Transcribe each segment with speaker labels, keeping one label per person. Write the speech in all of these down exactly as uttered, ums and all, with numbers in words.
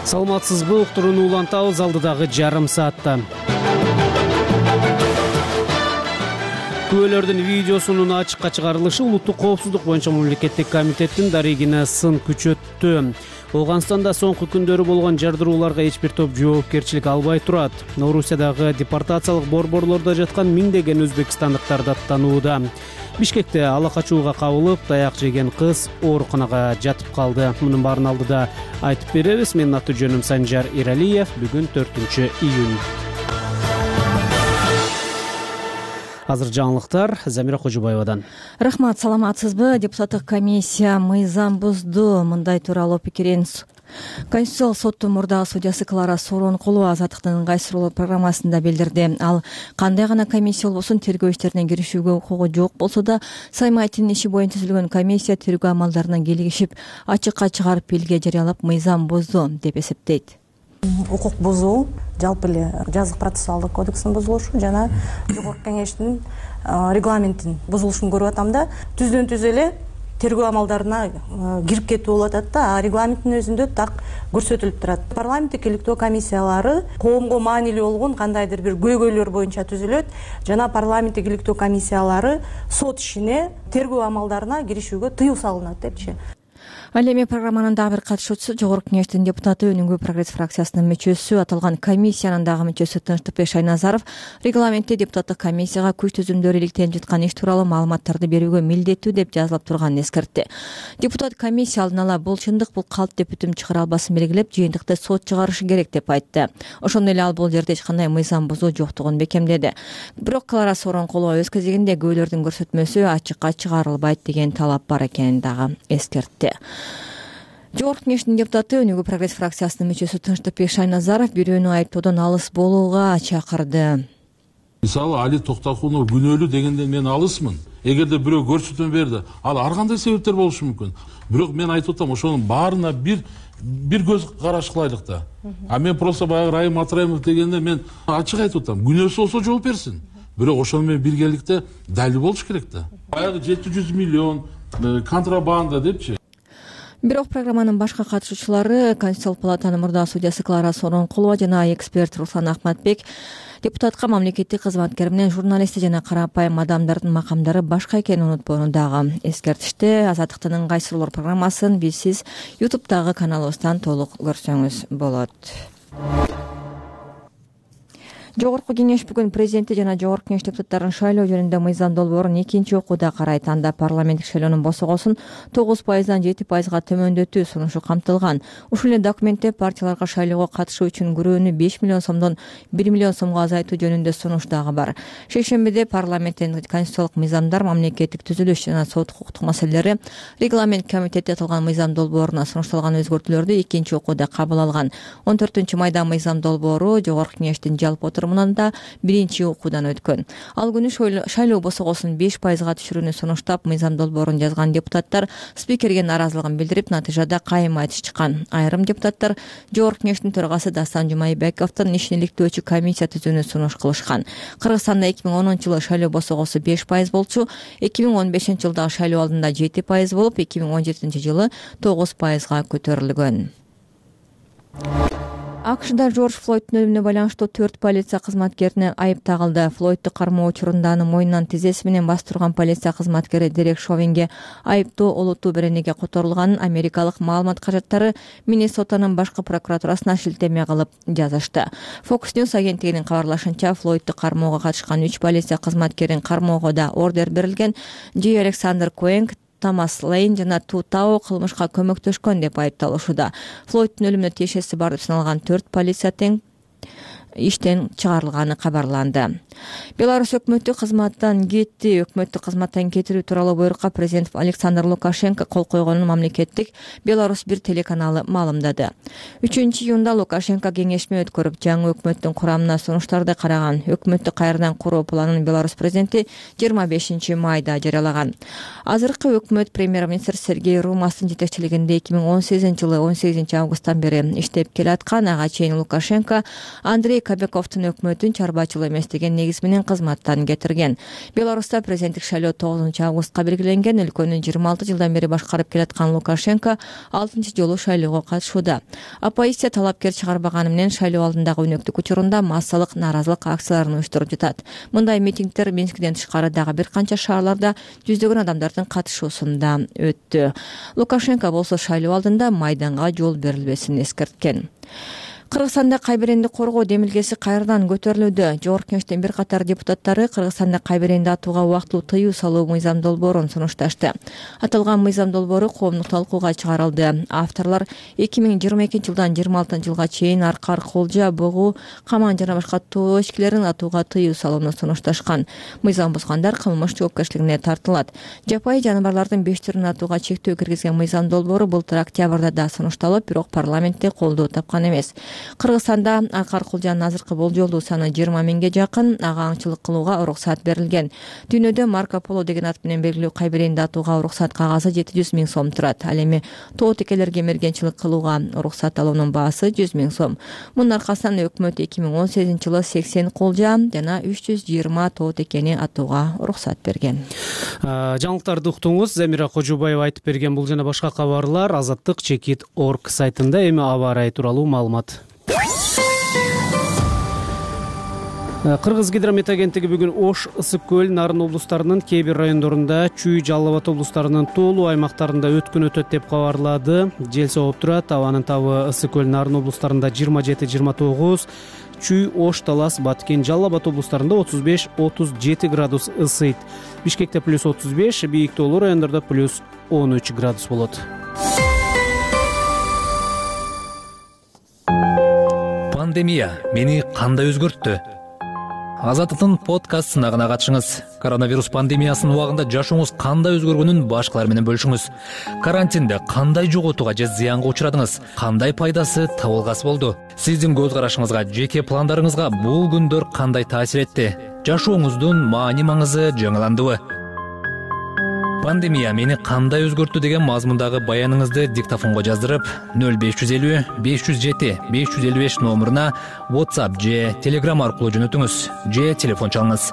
Speaker 1: Саламатсызбы, уктурууну улантабыз алдыдагы жарым саатта. Күбөлөрдүн видеосунун ачыкка чыгарылышы улуттук коопсуздук боюнча мамлекеттик комитеттин дарегине сын күчөттү. Ооганстанда соңку күндөрү болгон жардырууларга эч бир топ жоопкерчилик албай турат. Орусиядагы депортациялык борборлордо жаткан миңдеген өзбекстандыктар даттанууда. Бишкекте ала качууга кабылып, таяк жеген кыз ооруканага жатып калды. Мунун баарын алдыда айтып беребиз. Менин аты жөнүм Санжар Иралиев. Бүгүн төртүнчү июнь. Азыр жаңылыктар Замира Кожубаевадан.
Speaker 2: Рахмат, саламатсызбы? Депутаттык комиссия мыйзам бузду. Мындай тууралуу пикирин Конституциялык соттун мурдагы судьясы Клара Сооронкулова азаттыктын ыңгайсыздуулоо программасында билдирди. Ал кандай гана комиссия болбосун тергөө иштерине киришүүгө укугу жок болсо да, Саймайтинин иши боюнча түзүлгөн комиссия тергөө амалдарына келишип, ачыкка чыгарып белге жарыялап мыйзам бузду деп эсептейт.
Speaker 3: Укук бузуу жалпы эле жазык процессуалдык кодекстин бузулушу жана Жогорку Кеңештин регламентин бузулушун көрүп атам да, түздөн түз эле тергөө амалдарына кирип кетүү болуп атат да, а регламенттин өзүндө так көрсөтүлүп турат. Парламенттик иликтөө комиссиялары коомго маанилүү болгон кандайдыр бир көйгөйлөр боюнча түзүлөт жана парламенттик иликтөө комиссиялары сот ишине тергөө амалдарына киришүүгө тыюу салынат депчи.
Speaker 2: Ал эми программанын дагы бир катышуучусу Жогорку Кеңештин депутаты Өнүгүү прогресс фракциясынын мүчөсү, аталган комиссиянын дагы мүчөсү Тынчтыкбек Шайназаров регламентте депутаттык комиссияга күч түзүмдөрү иликтелип жаткан иш тууралуу маалыматтарды берүүгө милдеттүү деп жазылып турганын эскертти. Депутат комиссия алдын ала бул чындык, бул калп деп бүтүм чыгара албасын белгилеп, жыйынтыкты сот чыгарышы керек деп айтты. Ошондой эле ал бул жерде эч кандай мыйзам бузуу жоктугун бекемдеди. Бирок Клара Сооронкулова өз кезегинде күбөлөрдүн көрсөтмөсү ачыкка чыгарылбайт деген талап бар экенин дагы эскертти. Жогорку Кеңештин депутаты Өнүгүү прогресс фракциясынын мүчөсү Тынчтыкбек Шайназаров бирөөнү айыптоодон алыс болууга чакырды.
Speaker 4: Мисалы Али Токтокунов күнөөлүү дегенден мен алысмын. Эгерде бирөө көрсөтмө берди, ал ар кандай себептер болушу мүмкүн. Бирок мен айтып атам, ошонун баарына бир бир көз караш кылайлык да. А мен просто баягы Райым Атраимов дегенде мен ачык айтып атам, күнөөсү болсо жооп берсин. Бирок ошону менен биргеликте далил болуш керек да. Баягы жети жүз миллион контрабанда депчи.
Speaker 2: Бирок программанын башка катышуучулары, Конституциялык палатанын мурдагы судьясы Клара Сооронкулова жана эксперт Руслан Ахматбек депутатка мамлекеттик кызматкер менен журналисти жана карапайым адамдардын макамдары башка экенин унутпоону дагы эскертишти. Азаттыктын ыңгайсыздуулоо программасын биз сиз ютубтагы каналыбыздан толук көрсөңүз болот. Жогорку Кеңеш бүгүн президенти жана Жогорку Кеңеш депутаттарын шайлоо жөнүндө мыйзам долбоорун экинчи окууда карайт. Анда парламенттик шайлоонун босогосун тогуз пайыздан жети пайызга төмөндөтүү сунушу камтылган. Ушул эле документте партияларга шайлоого катышуу үчүн күрөөнү беш миллион сомдон бир миллион сомго азайтуу жөнүндө сунуш дагы бар. Шейшембиде парламенттин конституциялык мыйзамдар, мамлекеттик түзүлүш жана сот укуктук маселелери регламент комитети аталган мыйзам долбооруна сунушталган өзгөртүүлөрдү экинчи окууда кабыл алган. он төртүнчү майда мыйзам долбоору Жогорку Кеңештин жалпы отурумунда биринчи окуудан өткөн. Ал күнү шайлоо босогосун беш пайызга түшүрүүнү сунуштап, мыйзам долбоорун жазган депутаттар спикерге нааразылыгын билдирип, натыйжада кайым айтыш чыккан. Айрым депутаттар Жогорку Кеңештин төрагасы Дастан Жумайбековдун ишин иликтөөчү комиссия түзүүнү сунуш кылышкан. Кыргызстанда эки миң онунчу жылы шайлоо босогосу беш пайыз болчу, эки миң он бешинчи жылдагы шайлоо алдында жети пайыз болуп, эки миң он жетинчи жылы тогуз пайызга көтөрүлгөн. АКШда Жорж Флойдтун өлүмүнө байланыштуу төрт полиция кызматкерине айып тагылды. Флойдту кармоо учурунда аны мойнунан тизеси менен бастырган полиция кызматкери Дерек Шовинге айыптоо олуттуу беренеге которулганын америкалык маалымат кажеттары Миннесотанын башкы прокуратурасына шилтеме кылып жазышты. Fox News агенттигинин кабарлашынча, Флойдту кармоого катышкан үч полиция кызматкерин кармоого да ордер берилген. Джей Александр Коэнг, Томас Лейн жана Тутао кылмышка көмөктөшкөн деп айыпталышууда. Флойдтун өлүмүнө тиешеси бар деп саналган төрт полиция тең иштен чыгарылганы кабарланды. Беларусь өкмөтү кызматтан кетти. Өкмөттү кызматтан кетирүү тууралуу буйрукка президент Александр Лукашенко кол койгонун мамлекеттик Беларусь бир телеканалы маалымдады. үчүнчү июнда Лукашенко кеңешме өткөрүп, жаңы өкмөттүн курамына сунуштарды караган. Өкмөттү кайрадан куруу планын Беларусь президенти жыйырма бешинчи майда жарыялаган. Азыркы өкмөт премьер-министр Сергей Румастын жетекчилигинде эки миң он сегизинчи жылы он сегизинчи августтан бери иштеп келаткан. Ага чейин Лукашенко Андрей Кобяковдун өкмөтүн чарбачыл эмес деген негиз менен кызматтан кетирген. Беларуста президенттик шайлоо тогузунчу августка белгиленген. Өлкөнү жыйырма алты жылдан бери башкарып келаткан Лукашенко алтынчы жолу шайлоого катышууда. Оппозиция талапкер чыгарбаганы менен шайлоо алдындагы өнөктүк учурунда массалык нааразылык акцияларын уюштуруп жатат. Мындай митингдер Минскиден тышкары дагы бир канча шаарларда жүздөгөн адамдардын катышуусунда өттү. Лукашенко болсо шайлоо алдында майданга жол берилбесин эскерткен. Кыргызстанда кайберенди коргоо демилгеси кайрадан көтөрүлүүдө. Жогорку Кеңештин бир катар депутаттары Кыргызстанда кайберенди атууга убактылуу тыюу салуу мыйзам долбоорун сунушташты. Аталган мыйзам долбоору коомдук талкууга чыгарылды. Авторлор эки миң жыйырма экинчи жылдан жыйырма алтынчы жылга чейин аркар, колжа, бугуу, каман жана башка тоо ичкилерин атууга тыюу салууну сунушташкан. Мыйзам бузгандар кылмыш жоопкерчилигине тартылат. Жапайы жаныбарлардын беш түрүн атууга чектөө киргизген мыйзам долбоору былтыр октябрда да сунушталып, бирок парламентте колдоо тапкан эмес. Кыргызстанда аркар, колжанын азыркы болжолдуу саны жыйырма миңге жакын. Ага аңчылык кылууга уруксат берилген. Дүйнөдө Марко Поло деген ат менен белгилүү кайберенди атууга уруксат кагазы жети жүз миң сом турат. Ал эми тоо текелерге мергенчилик кылууга уруксат алуунун баасы жүз миң сом. Мунун аркасынан өкмөт эки миң он сегизинчи жылы сексен колжа жана үч жүз жыйырма тоо текени атууга уруксат берген.
Speaker 1: Жаңылыктарды уктуңуз. Замира Кожубаева айтып берген бул жана башка кабарлар азаттык чекит точка орг сайтында. Эми аба ырайы тууралуу маалымат. Кыргыз гидромет агенттиги бүгүн Ош, Ысык көл, Нарын облустарынын кээ бир райондорунда, Чүй, Жалал Абад облустарынын тоолуу аймактарында өткөн өтөт деп кабарлады. Жел согуп турат. Абанын табы Ысык көл, Нарын облустарында жыйырма жети жыйырма тогуз, Чүй, Ош, Талас, Баткен, Жалал Абад облустарында отуз беш отуз жети градус ысыйт. Бишкекте плюс отуз беш, бийик тоолуу райондордо плюс он үч градус болот.
Speaker 5: Пандемия мени кандай өзгөрттү? Азаттыктын подкаст сынагына катышыңыз. Коронавирус пандемиясынын убагында жашооңуз кандай өзгөргөнүн башкалар менен бөлүшүңүз. Карантинде кандай жоготууга же зыянга учурадыңыз? Кандай пайдасы, табылгасы болду? Сиздин көз карашыңызга, жеке пландарыңызга бул күндөр кандай таасир этти? Жашооңуздун маани маңызы жаңыландыбы? Пандемия мени кандай өзгөрттү деген мазмундагы баяныңызды диктофонго жаздырып, нөл беш жүз элүү беш жүз жети беш жүз элүү беш номуруна WhatsApp же Telegram аркылуу жөнөтүңүз, же телефон чалыңыз.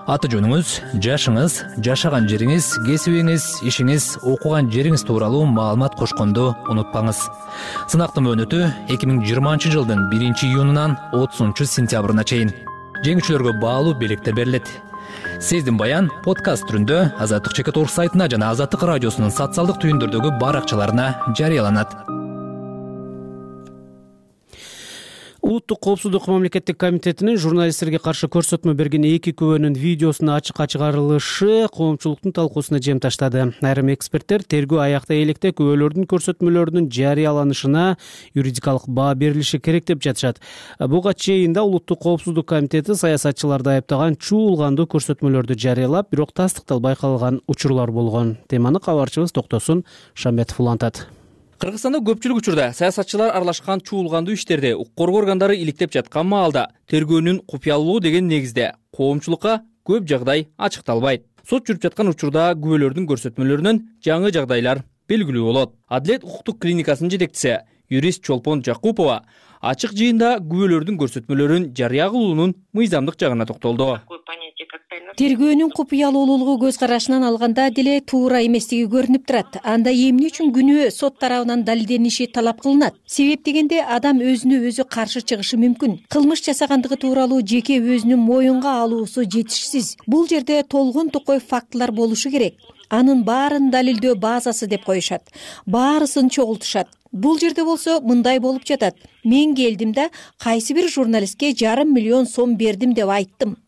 Speaker 5: Аты жөнүңүз, жашыңыз, жашаган жериңиз, кесибиңиз, ишиңиз, окуган жериңиз тууралуу маалымат кошконду унутпаңыз. Сынактын мөөнөтү эки миң жыйырманчы жылдын биринчи июнунан отузунчу сентябрына чейин. Жеңүүчүлөргө баалуу белектер берилет. Сиздин баян подкаст түрүндө Азаттык чекит точка орг сайтына жана Азаттык радиосунун социалдык түйүндөрдөгү баракчаларына жарыяланат.
Speaker 1: Улуттук коопсуздук мамлекеттик комитетинин журналисттерге каршы көрсөтмө берген эки күбөнүн видеосунун ачыкка чыгарылышы коомчулуктун талкуусуна жем таштады. Айрым эксперттер тергөө аяктай электе күбөлөрдүн көрсөтмөлөрүнүн жарыяланышына юридикалык баа берилиши керек деп жатышат. Буга чейин да Улуттук коопсуздук комитети саясатчыларды айыптаган чуулгандуу көрсөтмөлөрдү жарыялап, бирок тастыктал байкалган учурлар болгон. Теманы кабарчыбыз Токтосун Шамбетов улантат.
Speaker 6: Кыргызстанда көпчүлүк учурда саясатчылар аралашкан чуулгандуу иштерди укук коргоо органдары иликтеп жаткан маалда тергөөнүн купуялуулугу деген негизде коомчулукка көп жагдай ачыкталбайт. Сот жүрүп жаткан учурда күбөлөрдүн көрсөтмөлөрүнөн жаңы жагдайлар белгилүү болот. Адилет укуктук клиникасынын жетекчиси юрист Чолпон Жакупова ачык жыйында күбөлөрдүн көрсөтмөлөрүн жарыя кылуунун мыйзамдык жагына токтолду.
Speaker 7: Тергөөнүн купуялуулугу көз карашынан алганда деле туура эместиги көрүнүп турат. Анда эмне үчүн күнөө сот тарабынан далилдениши талап кылынат? Себеп дегенде адам өзүнө өзү каршы чыгышы мүмкүн. Кылмыш жасагандыгы тууралуу жеке өзүнүн моюнга алуусу жетишсиз. Бул жерде толгон токой фактылар болушу керек. Анын баарын далилдөө базасы деп коюшат. Баарысын чогултушат. Бул жерде болсо мындай болуп жатат. Мен келдим да кайсы бир журналистке жарым миллион сом бердим деп айттым.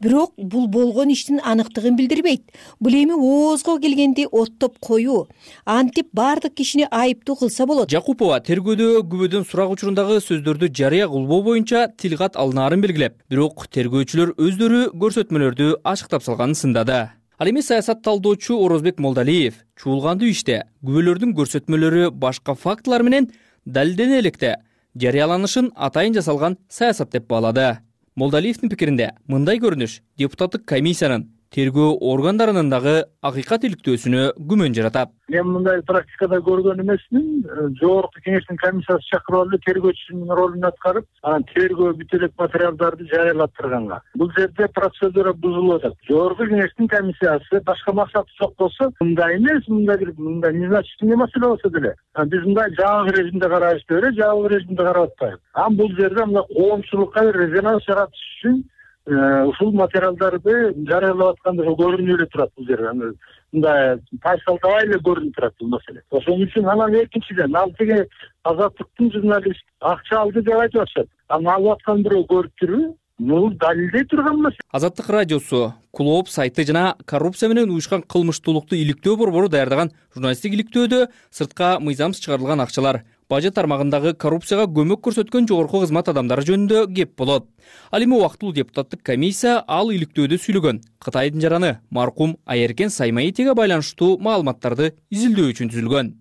Speaker 7: Бирок бул болгон иштин аныктыгын билдирбейт. Бул эми оозго келгенди оттоп коюу. Антип бардык кишини айыптуу кылса болот.
Speaker 6: Жакупова тергөөдө күбөдөн сурак учурундагы сөздөрдү жарыя кылбоо боюнча тилкат алынаарын белгилеп, бирок тергөөчүлөр өздөрү көрсөтмөлөрдү ачыктап салганын сындады. Ал эми саясат талдоочу Орозбек Молдалиев чуулгандуу иште күбөлөрдүн көрсөтмөлөрү башка фактылар менен далилдене электе жарыяланышын атайын жасалган саясат деп баалады. Молдалиевдин пикиринде мындай көрүнүш депутаттык комиссиянын тергөө органдарынын дагы акыйкат иликтөөсүнө күмөн жаратат.
Speaker 8: Мен мындай практикада көргөн эмесмин. Жогорку кеңештин комиссиясы чакырып алып тергөөчүнүн ролун аткарып, анан тергөө бүт элек материалдарды жарыялаттырганга. Бул жерде процедура бузулуп атат. Жогорку кеңештин комиссиясы башка максаты жок болсо, мындай эмес, мындай бир мындай незначительный маселе болсо деле. Биз мындай жабык режимде карашты эле, жабык режимде карап атпайбыз. Анан бул жерде мындай коомчулукка резонанс жаратыш үчүн ушул материалдарды жарыялап атканда көрүнүп эле турат бул жерде. Мындай тайсалдабай эле көрүнүп турат бул маселе. Ошон үчүн анан экинчиден ал теге Азаттыктын журналист акча алды деп айтып атышат. Анан алып аткан бирөө көрүп турбу? Бул далилдей турган маселе.
Speaker 6: Азаттык радиосу, Клооп сайты жана коррупция менен уюшкан кылмыштуулукту иликтөө борбору даярдаган журналисттик иликтөөдө сыртка мыйзамсыз чыгарылган акчалар, бажы тармагындагы коррупцияга көмөк көрсөткөн жогорку кызмат адамдары жөнүндө кеп болот. Ал эми убактылуу депутаттык комиссия ал иликтөөдө сүйлөгөн Кытайдын жараны маркум Айеркен Саймаитиге байланыштуу маалыматтарды изилдөө үчүн түзүлгөн.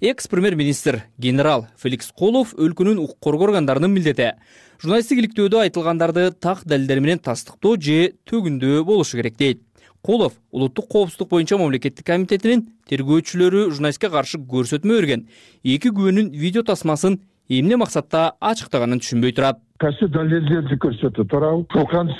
Speaker 6: Экс премьер-министр генерал Феликс Колов өлкөнүн укук коргоо органдарынын милдети журналисттик иликтөөдө айтылгандарды так далилдер менен тастыктоо же төгүндөө болушу керек дейт. Колов улуттук коопсуздук боюнча мамлекеттик комитетинин тергөөчүлөрү журналистке каршы көрсөтмө берген эки күбөнүн видео тасмасын эмне максатта ачыктаганын түшүнбөй турат.
Speaker 9: Кайсы далилдерди көрсөтүп турабы?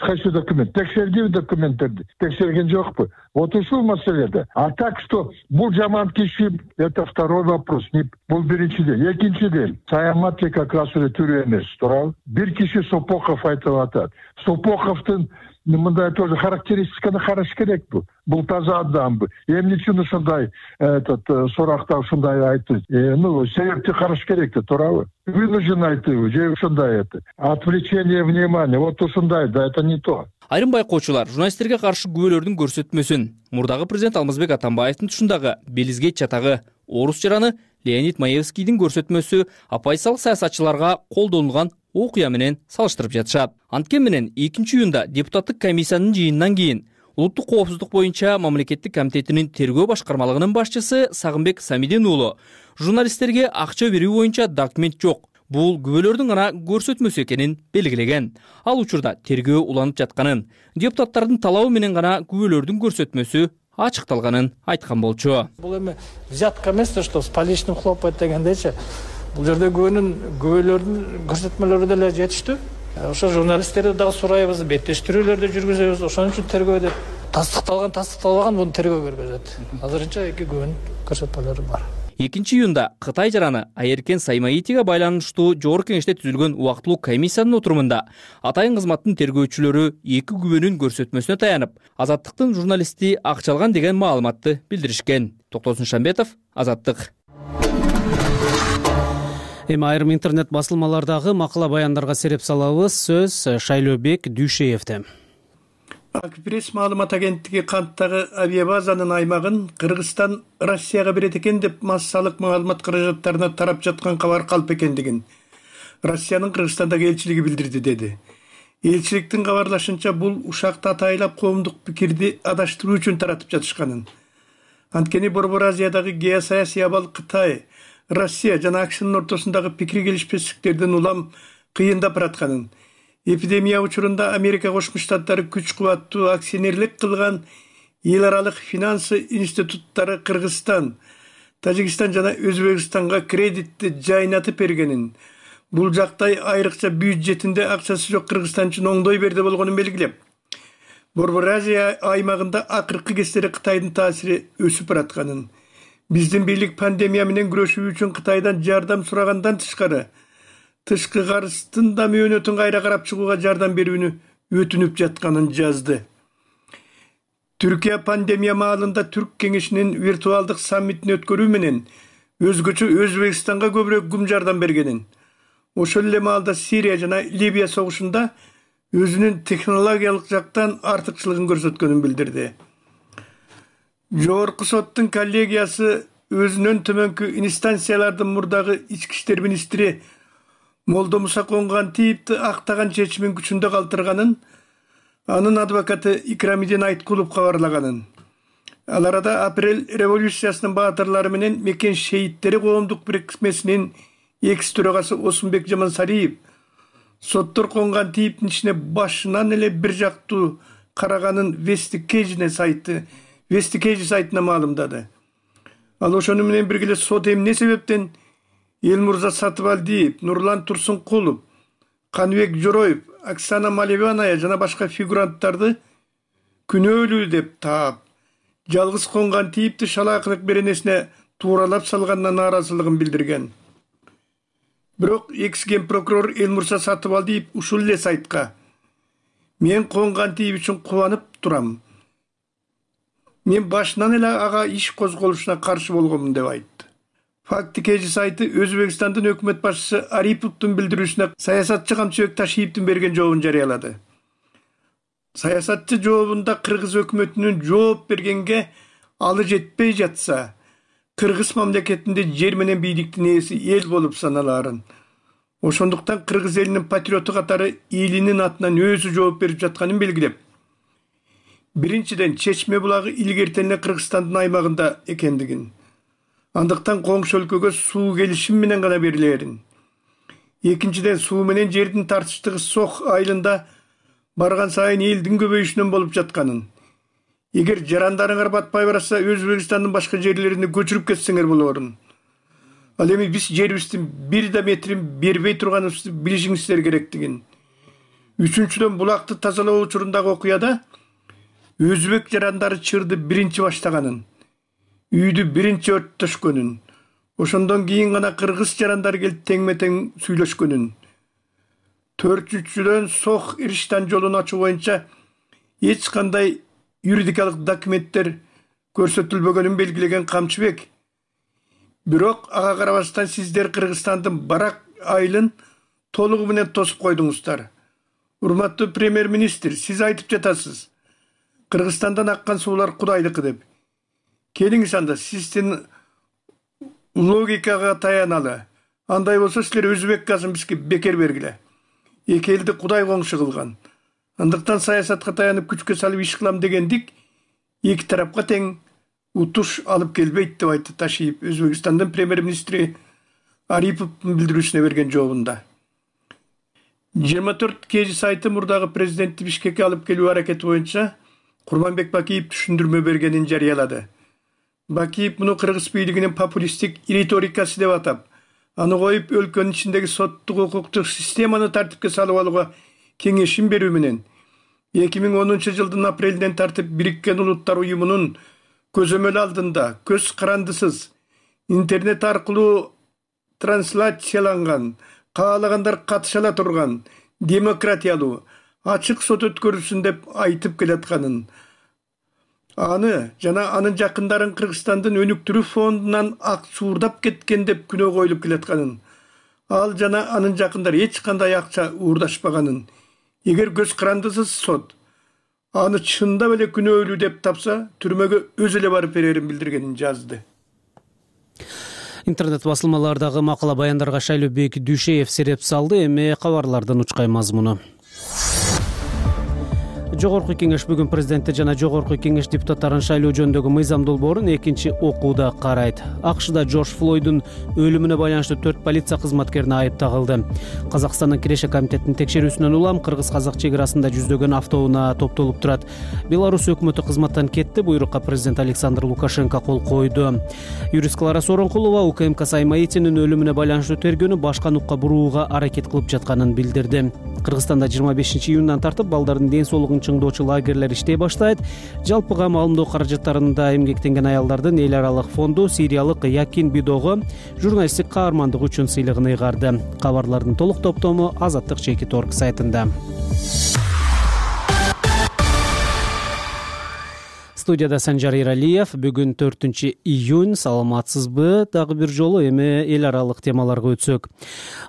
Speaker 9: Кайсы документ? Текшердиби документтерди? Текшерген жокпу? Вот ушул маселеде. А так что бул жаман киши, это второй вопрос. Бул биринчиден. Экинчиден, Саяматли как раз эле түрү эмес, турабы? Бир киши Сопохов айтып атат. Сопоховдун мындай тоже характеристиканы караш керек бу. Бул таза адамбы. Эмне үчүн ушундай этот суракта ушундай айтты? Ну, себепти караш керек да, туурабы? Вынужден айтты, же ушундай это. Отвлечение внимания. Вот ушундай, да, это не то.
Speaker 6: Айрым байкоочулар журналисттерге каршы күбөлөрдүн көрсөтмөсүн мурдагы президент Алмазбек Атамбаевдин тушундагы Белизгей чатагы орус жараны Леонид Маевскийдин көрсөтмөсү апайсалык саясатчыларга колдонулган окуя менен салыштырып жатышат. Анткени менен экинчи июнда депутаттык комиссиянын жыйынынан кийин улуттук коопсуздук боюнча мамлекеттик комитетинин тергөө башкармалыгынын башчысы Сагынбек Самидин уулу журналисттерге акча берүү боюнча документ жок. Бул күбөлөрдүн гана көрсөтмөсү экенин белгилеген. Ал учурда тергөө уланып жатканын, депутаттардын талабы менен гана күбөлөрдүн көрсөтмөсү ачыкталганын айткан болчу.
Speaker 10: Бул эми взятка эмес, что с поличным хлопает дегендейчи. Бул жерде күбөнүн күбөлөрдүн көрсөтмөлөрү деле жетиштүү. Ошо журналисттерди дагы сурайбыз, беттештирүүлөрдү жүргүзөбүз. Ошон үчүн тергөө деп тастыкталган, тастыкталбаган муну тергөө көргөзөт. Азырынча эки күбөнүн көрсөтмөлөрү бар.
Speaker 6: экинчи июнда Кытай жараны Айеркен Саймаитиге байланыштуу жогорку кеңеште түзүлгөн убактылуу комиссиянын отурумунда атайын кызматтын тергөөчүлөрү эки күбөнүн көрсөтмөсүнө таянып, Азаттыктын журналисти акчалган деген маалыматты билдиришкен. Токтосун Шамбетов, Азаттык.
Speaker 1: Эми айрым интернет басылмалардагы макала баяндарга сереп салабыз. Сөз Шайлообек Дүйшеевде.
Speaker 11: Акпресс маалымат агенттиги канттагы авиабазанын аймагын Кыргызстан Россияга берет экен деп массалык маалымат каражаттарына тарап жаткан кабар калп экендигин Россиянын Кыргызстандагы элчилиги билдирди деди. Элчиликтин кабарлашынча бул ушакта атайлап коомдук пикирди адаштыруу үчүн таратып жатышканын. Анткени Борбор Азиядагы геосаясий абал Кытай, Россия жана АКШнын ортосундагы пикир келишпестиктердин улам кыйындап баратканын, эпидемия учурунда Америка Кошмо Штаттары күч кубаттуу акционерлик кылган эл аралык финансы институттары Кыргызстан, Тажикстан жана Өзбекстанга кредитти жайнатып бергенин, бул жактай айрыкча бюджетинде акчасы жок Кыргызстан үчүн оңдой берди болгонун белгилеп, Борбор Азия аймагында акыркы кездери Кытайдын таасири өсүп баратканын, биздин бийлик пандемия менен күрөшүү үчүн Кытайдан жардам сурагандан тышкары тышкы карыздын да мөөнөтүн кайра карап чыгууга жардам берүүнү өтүнүп жатканын жазды. Түркия пандемия маалында Түрк кеңешинин виртуалдык саммитин өткөрүү менен өзгөчө Өзбекстанга көбүрөөк гум жардам бергенин, ошол эле маалда Сирия жана Либия согушунда өзүнүн технологиялык жактан артыкчылыгын көрсөткөнүн билдирди. Жогорку соттун коллегиясы өзүнөн төмөнкү инстанциялардын мурдагы ички иштер министри Молдо Муса Конгантиевди актаган чечимин күчүндө калтырганын, анын адвокаты Икрамидин Айткулов кабарлаганын. Ал арада апрель революциясынын баатырлары менен Мекен шейиттери коомдук бирикмесинин экс төрагасы Осунбек Жамансариев соттор Конгантиевдин ичине башынан эле бир жактуу караганын Вестикейжне сайты Вестикейж сайтына маалымдады. Ал ошону менен бирге эле сот эмне себептен Элмурза Сатыбалдиев, Нурлан Турсункулов, Каныбек Жороев, Оксана Малеваная жана башка фигуранттарды күнөөлүү деп таап, жалгыз конган тийипти шалаакылык беренесине тууралап салганына нааразылыгын билдирген. Бирок экс ген прокурор Элмурза Сатыбалдиев ушул эле сайтка: "Мен конган тийип үчүн кубанып турам. Мен башынан эле ага иш козголушуна каршы болгонмун" деп айтты. Фактикеж сайты Өзбекстандын өкмөт башчысы Ариповдун билдирүүсүнө саясатчы Камчыбек Ташиевдин берген жообун жарыялады. Саясатчы жообунда Кыргыз өкмөтүнүн жооп бергенге алы жетпей жатса, Кыргыз мамлекетинде жер менен бийликтин ээси эл болуп саналаарын, ошондуктан Кыргыз элинин патриоту катары элинин атынан өзү жооп берип жатканын белгилеп, биринчиден Чечме булагы илгертен эле Кыргызстандын аймагында экендигин, андыктан коңшу өлкөгө суу келишим менен гана берилерин. Экинчиден суу менен жердин тартыштыгы Сох айылында барган сайын элдин көбөйүшүнөн болуп жатканын. Эгер жарандарыңар батпай барса, Өзбекстандын башка жерлерине көчүрүп кетсеңер болорун. Ал эми биз жерибиздин бир да метрин бербей турганыбызды билишиңиздер керектигин. Үчүнчүдөн булакты тазалоо учурундагы окуяда өзбек жарандары чырды биринчи баштаганын, үйдү биринчи өрттөшкөнүн, ошондон кийин гана кыргыз жарандары келип теңме-тең сүйлөшкөнүн. Төртүнчүдөн Сох Ирштан жолун ачуу боюнча эч кандай юридикалык документтер көрсөтүлбөгөнүн белгилеген Камчыбек. Бирок ага карабастан сиздер Кыргызстандын барак айылын толугу менен тосуп койдуңуздар. Урматтуу премьер-министр, сиз айтып жатасыз, Кыргызстандан аккан суулар Кудайдыкы деп. Келиңиз анда сиздин логикага таяналы. Андай болсо силер өзбек газын бизге бекер бергиле. Эки элди Кудай коңшу кылган. Андыктан саясатка таянып күчкө салып иш кылам дегендик эки тарапка тең утуш алып келбейт деп айтты Ташиев Өзбекстандын премьер-министри Ариповдун билдирүүсүнө берген жообунда. жыйырма төрт кж сайты мурдагы президентти Бишкекке алып келүү аракети боюнча Курманбек Бакиев түшүндүрмө бергенин жарыялады. Бакиев муну кыргыз бийлигинин популисттик риторикасы деп атап, аны коюп өлкөнүн ичиндеги соттук укуктук системаны тартипке салып алууга кеңешин берүү менен эки миң онунчу жылдын апрелинен тартып Бириккен Улуттар уюмунун көзөмөл алдында көз карандысыз интернет аркылуу трансляцияланган, каалагандар катыша ала турган демократиялуу ачык сот өткөрүлсүн деп айтып келатканын, аны жана анын жакындарын Кыргызстандын өнүктүрүү фондунан ак суурдап кеткен деп күнөө коюлуп келатканын, ал жана анын жакындары эч кандай акча уурдашпаганын, эгер көз карандысыз сот аны чындап эле күнөөлүү деп тапса, түрмөгө өзү эле барып берерин билдиргенин жазды.
Speaker 1: Интернет басылмалардагы макала баяндарга Шайлообек Дүйшеев сереп салды. Эми кабарлардын учкай мазмуну. Жогорку кеңеш бүгүн президентти жана Жогорку кеңеш депутаттарын шайлоо жөнүндөгү мыйзам долбоорун экинчи окууда карайт. АКШда Джордж Флойддун өлүмүнө байланыштуу төрт полиция кызматкерине айып тагылды. Казакстандын Киреше комитетинин текшерүүсүнөн улам кыргыз-казак чек арасында жүздөгөн автоунаа топтолуп турат. Беларусь өкмөтү кызматтан кетти, буйрукка президент Александр Лукашенко кол койду. Юрист Клара Сооронкулова УКМК Саймаитинин өлүмүнө байланыштуу тергөөнү башка нукка бурууга аракет кылып жатканын билдирди. Кыргызстанда жыйырма бешинчи июндан тартып балдардын ден соолугун чыңдоочу лагерлер иштей баштайт. Жалпыга маалымдоо каражаттарында эмгектенген аялдардын эл аралык фонду сириялык Якин Бидого журналисттик каармандыгы үчүн сыйлыгын ыйгарды. Кабарлардын толук топтому Азаттык чекит точка орг сайтында. Студияда Санжар Иралиев. Бүгүн төртүнчү июнь. Саламатсызбы? Дагы бир жолу эми эл аралык темаларга өтсөк.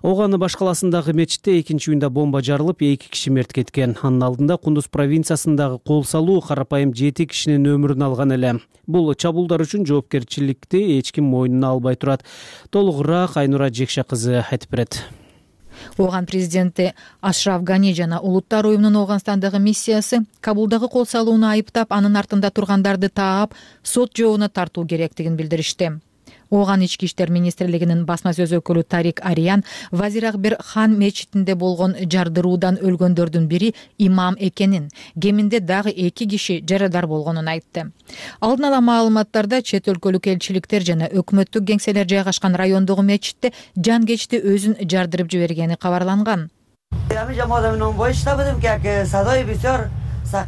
Speaker 1: Оганы баш каласындагы мечитте экинчи июнда бомба жарылып, эки киши мерт кеткен. Анын алдында Кундуз провинциясындагы кол салуу карапайым жети кишинин өмүрүн алган эле. Бул чабуулдар үчүн жоопкерчиликти эч ким мойнуна албай турат. Толугураак Айнура Жекше кызы айтып берет.
Speaker 12: Ооган президенти Ашраф Гани жана Улуттар уюмунун Ооганстандагы миссиясы Кабулдагы кол салууну айыптап, анын артында тургандарды таап, сот жообуна тартуу керектигин билдиришти. Ооган ички иштер министрлигинин басма сөз өкүлү Тарик Ариян Вазир Акбер хан мечитинде болгон жардыруудан өлгөндөрдүн бири имам экенин, кеминде дагы эки киши жарадар болгонун айтты. Алдын ала маалыматтарда чет өлкөлүк элчиликтер жана өкмөттүк кеңселер жайгашкан райондогу мечитте жан кечти өзүн жардырып жибергени кабарланган.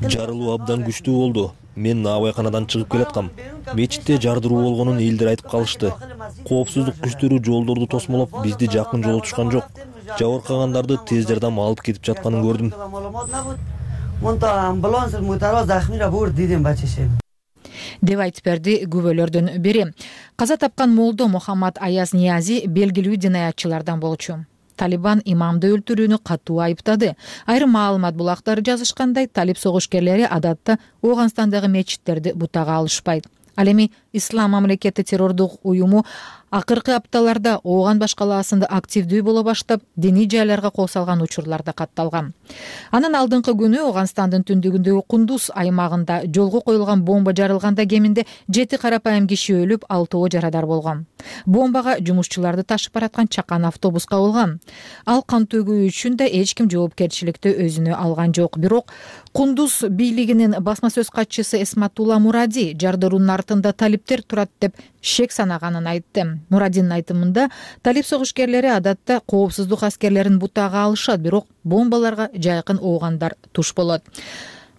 Speaker 13: Жарылуу абдан күчтүү болду. Мен наабайканадан чыгып келаткам. Мечитте жардыруу болгонун элдер айтып калышты. Коопсуздук күчтөрү жолдорду тосмолоп, бизди жакын жолотушкан жок. Жабыркагандарды тез жардам алып кетип жатканын көрдүм.
Speaker 12: деп айтып берди күбөлөрдүн бири. Каза тапкан молдо Мухаммад Аяз Ниязи белгилүү динаятчылардан болчу. Талибан имамды өлтүрүүнү катуу айыптады. Айрым маалымат булактары жазышкандай, талип согушкерлери адатта Ооганстандагы мечиттерди бутага алышпайт. Ал эми Ислам мамлекети террордук уюму акыркы апталарда Ооган башкалаасында активдүү боло баштап, диний жайларга кол салган учурларда катталган. Анын алдыңкы күнү Ооганстандын түндүгүндөгү Кундуз аймагында жолго коюлган бомба жарылганда кеминде жети карапайым киши өлүп, алтоо жарадар болгон. Бомбага жумушчуларды ташып бараткан чакан автобус кабылган. Ал кан төгүү үчүн да эч ким жоопкерчиликти өзүнө алган жок. Бирок Кундуз бийлигинин басма сөз катчысы Эсматулла Муради жардыруунун артында талиптер турат деп шек санаганын айтты. Мурадинин айтымында, талип согушкерлери адатта коопсуздук аскерлерин бутага алышат, бирок бомбаларга жайкын оогандар туш болот.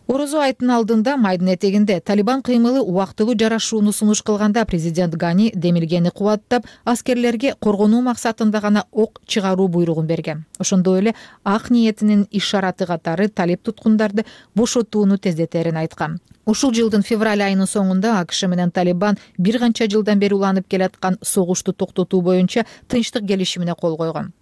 Speaker 12: Орозо айтынын алдында майдын этегинде Талибан кыймылы убактылуу жарашууну сунуш кылганда президент Гани демилгени кубаттап, аскерлерге коргонуу максатында гана ок чыгаруу буйругун берген. Ошондой эле ак ниетинин ишараты катары талип туткундарды бошотууну тездетерин айткан. Ушул жылдын февраль айынын соңунда АКШ менен Талибан бир канча жылдан бери уланып келаткан согушту токтотуу боюнча тынчтык келишимине кол койгон.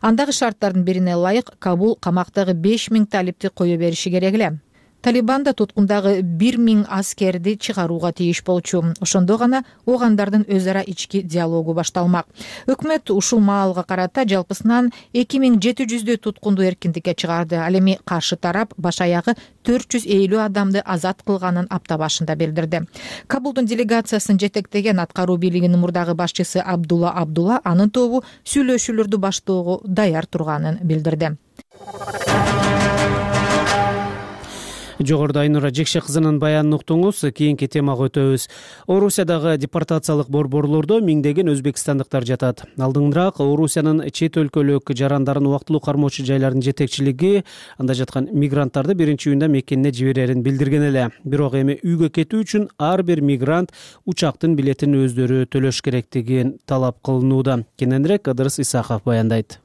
Speaker 12: Андагы шарттардын бирине ылайык Кабул камактагы беш миң талипти кое бериши керек эле. Талибан да туткундагы бир миң аскерди чыгарууга тийиш болчу. Ошондо гана оогандардын өз ара ички диалогу башталмак. Өкмөт ушул маалга карата жалпысынан эки миң жети жүздөй туткунду эркиндикке чыгарды. Ал эми каршы тарап баш аягы төрт жүз элүү адамды азат кылганын апта башында билдирди. Кабулдун делегациясын жетектеген аткаруу бийлигинин мурдагы башчысы Абдулла Абдулла анын тобу сүйлөшүүлөрдү баштоого даяр турганын билдирди.
Speaker 1: Жогоруда Айнура Жекше кызынын баянын уктуңуз. Кийинки темага өтөбүз. Орусиядагы депортациялык борборлордо миңдеген өзбекстандыктар жатат. Алдыңыраак Орусиянын чет өлкөлүк жарандарын убактылуу кармоочу жайлардын жетекчилиги анда жаткан мигранттарды биринчи июнда мекенине жиберерин билдирген эле. Бирок эми үйгө кетүү үчүн ар бир мигрант учактын билетин өздөрү төлөш керектигин талап кылынууда. Кененирээк Ыдырыс Исаков баяндайт.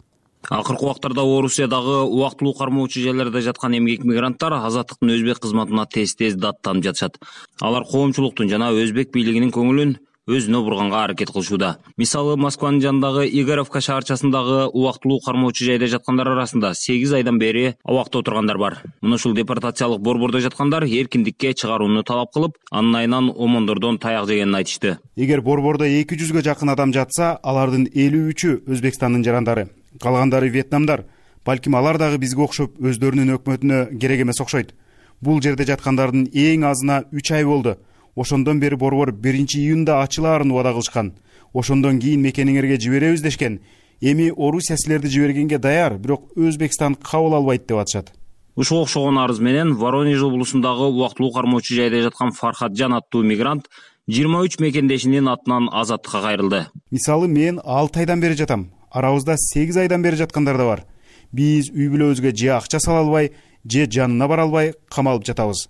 Speaker 14: Акыркы убактарда Орусиядагы убактылуу кармоочу жайларда жаткан эмгек мигранттар азаттыктын өзбек кызматына тез-тез даттанып жатышат. Алар коомчулуктун жана өзбек бийлигинин көңүлүн өзүнө бурганга аракет кылышууда. Мисалы, Москванын жанындагы Игоревка шаарчасындагы убактылуу кармоочу жайда жаткандар арасында сегиз айдан бери абакта отургандар бар. Мына ушул депортациялык борбордо жаткандар эркиндикке чыгарууну талап кылып, анын айынан омондордон таяк жегенин айтышты.
Speaker 15: Эгер борбордо эки жүзгө жакын адам жатса, алардын элүү үчү Өзбекстандын жарандары, калгандары вьетнамдар. Балким алар дагы бизге окшоп өздөрүнүн өкмөтүнө керек эмес окшойт. Бул жерде жаткандардын эң азына үч ай болду. Ошондон бери борбор биринчи июнда ачылаарын убада кылышкан. Ошондон кийин мекениңерге жиберебиз дешкен. Эми Орусия силерди жибергенге даяр, бирок Өзбекстан кабыл албайт деп атышат.
Speaker 14: Ушуга окшогон арыз менен Воронеж облусундагы убактылуу кармоочу жайда жаткан Фархатжан аттуу мигрант жыйырма үч мекендешинин атынан азаттыкка кайрылды.
Speaker 15: Мисалы, мен алты айдан бери жатам. Арабызда сегиз айдан бери жаткандар да бар. Биз үй бүлөбүзгө же акча сала албай, же жанына бара албай камалып жатабыз.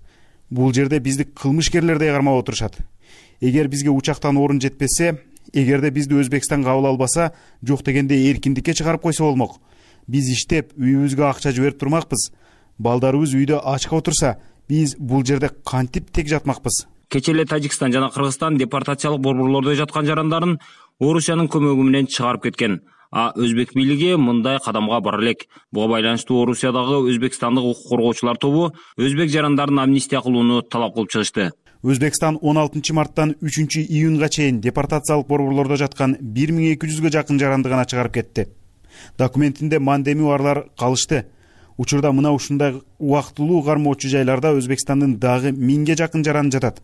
Speaker 15: Бул жерде бизди кылмышкерлердей кармап отурушат. Эгер бизге учактан орун жетпесе, эгерде бизди Өзбекстан кабыл албаса, жок дегенде эркиндикке чыгарып койсо болмок. Биз иштеп, үйүбүзгө акча жиберип турмакпыз. Балдарыбыз үйдө ачка отурса, биз бул жерде кантип тек жатмакпыз.
Speaker 14: Кече эле Тажикстан жана Кыргызстан депортациялык борборлордо жаткан жарандарын Орусиянын көмөгү менен чыгарып кеткен. А өзбек бийлиги мындай кадамга бара элек. Буга байланыштуу Орусиядагы өзбекстандык укук коргоочулар тобу өзбек жарандарын амнистия кылууну талап кылып чыгышты.
Speaker 15: Өзбекстан он алтынчы марттан үчүнчү июнга чейин депортациялык борборлордо жаткан бир миң эки жүзгө жакын жаранды гана чыгарып кетти. Документинде мандеми барлар калышты. Учурда мына ушундай убактылуу кармоочу жайларда Өзбекстандын дагы миңге жакын жаран жатат.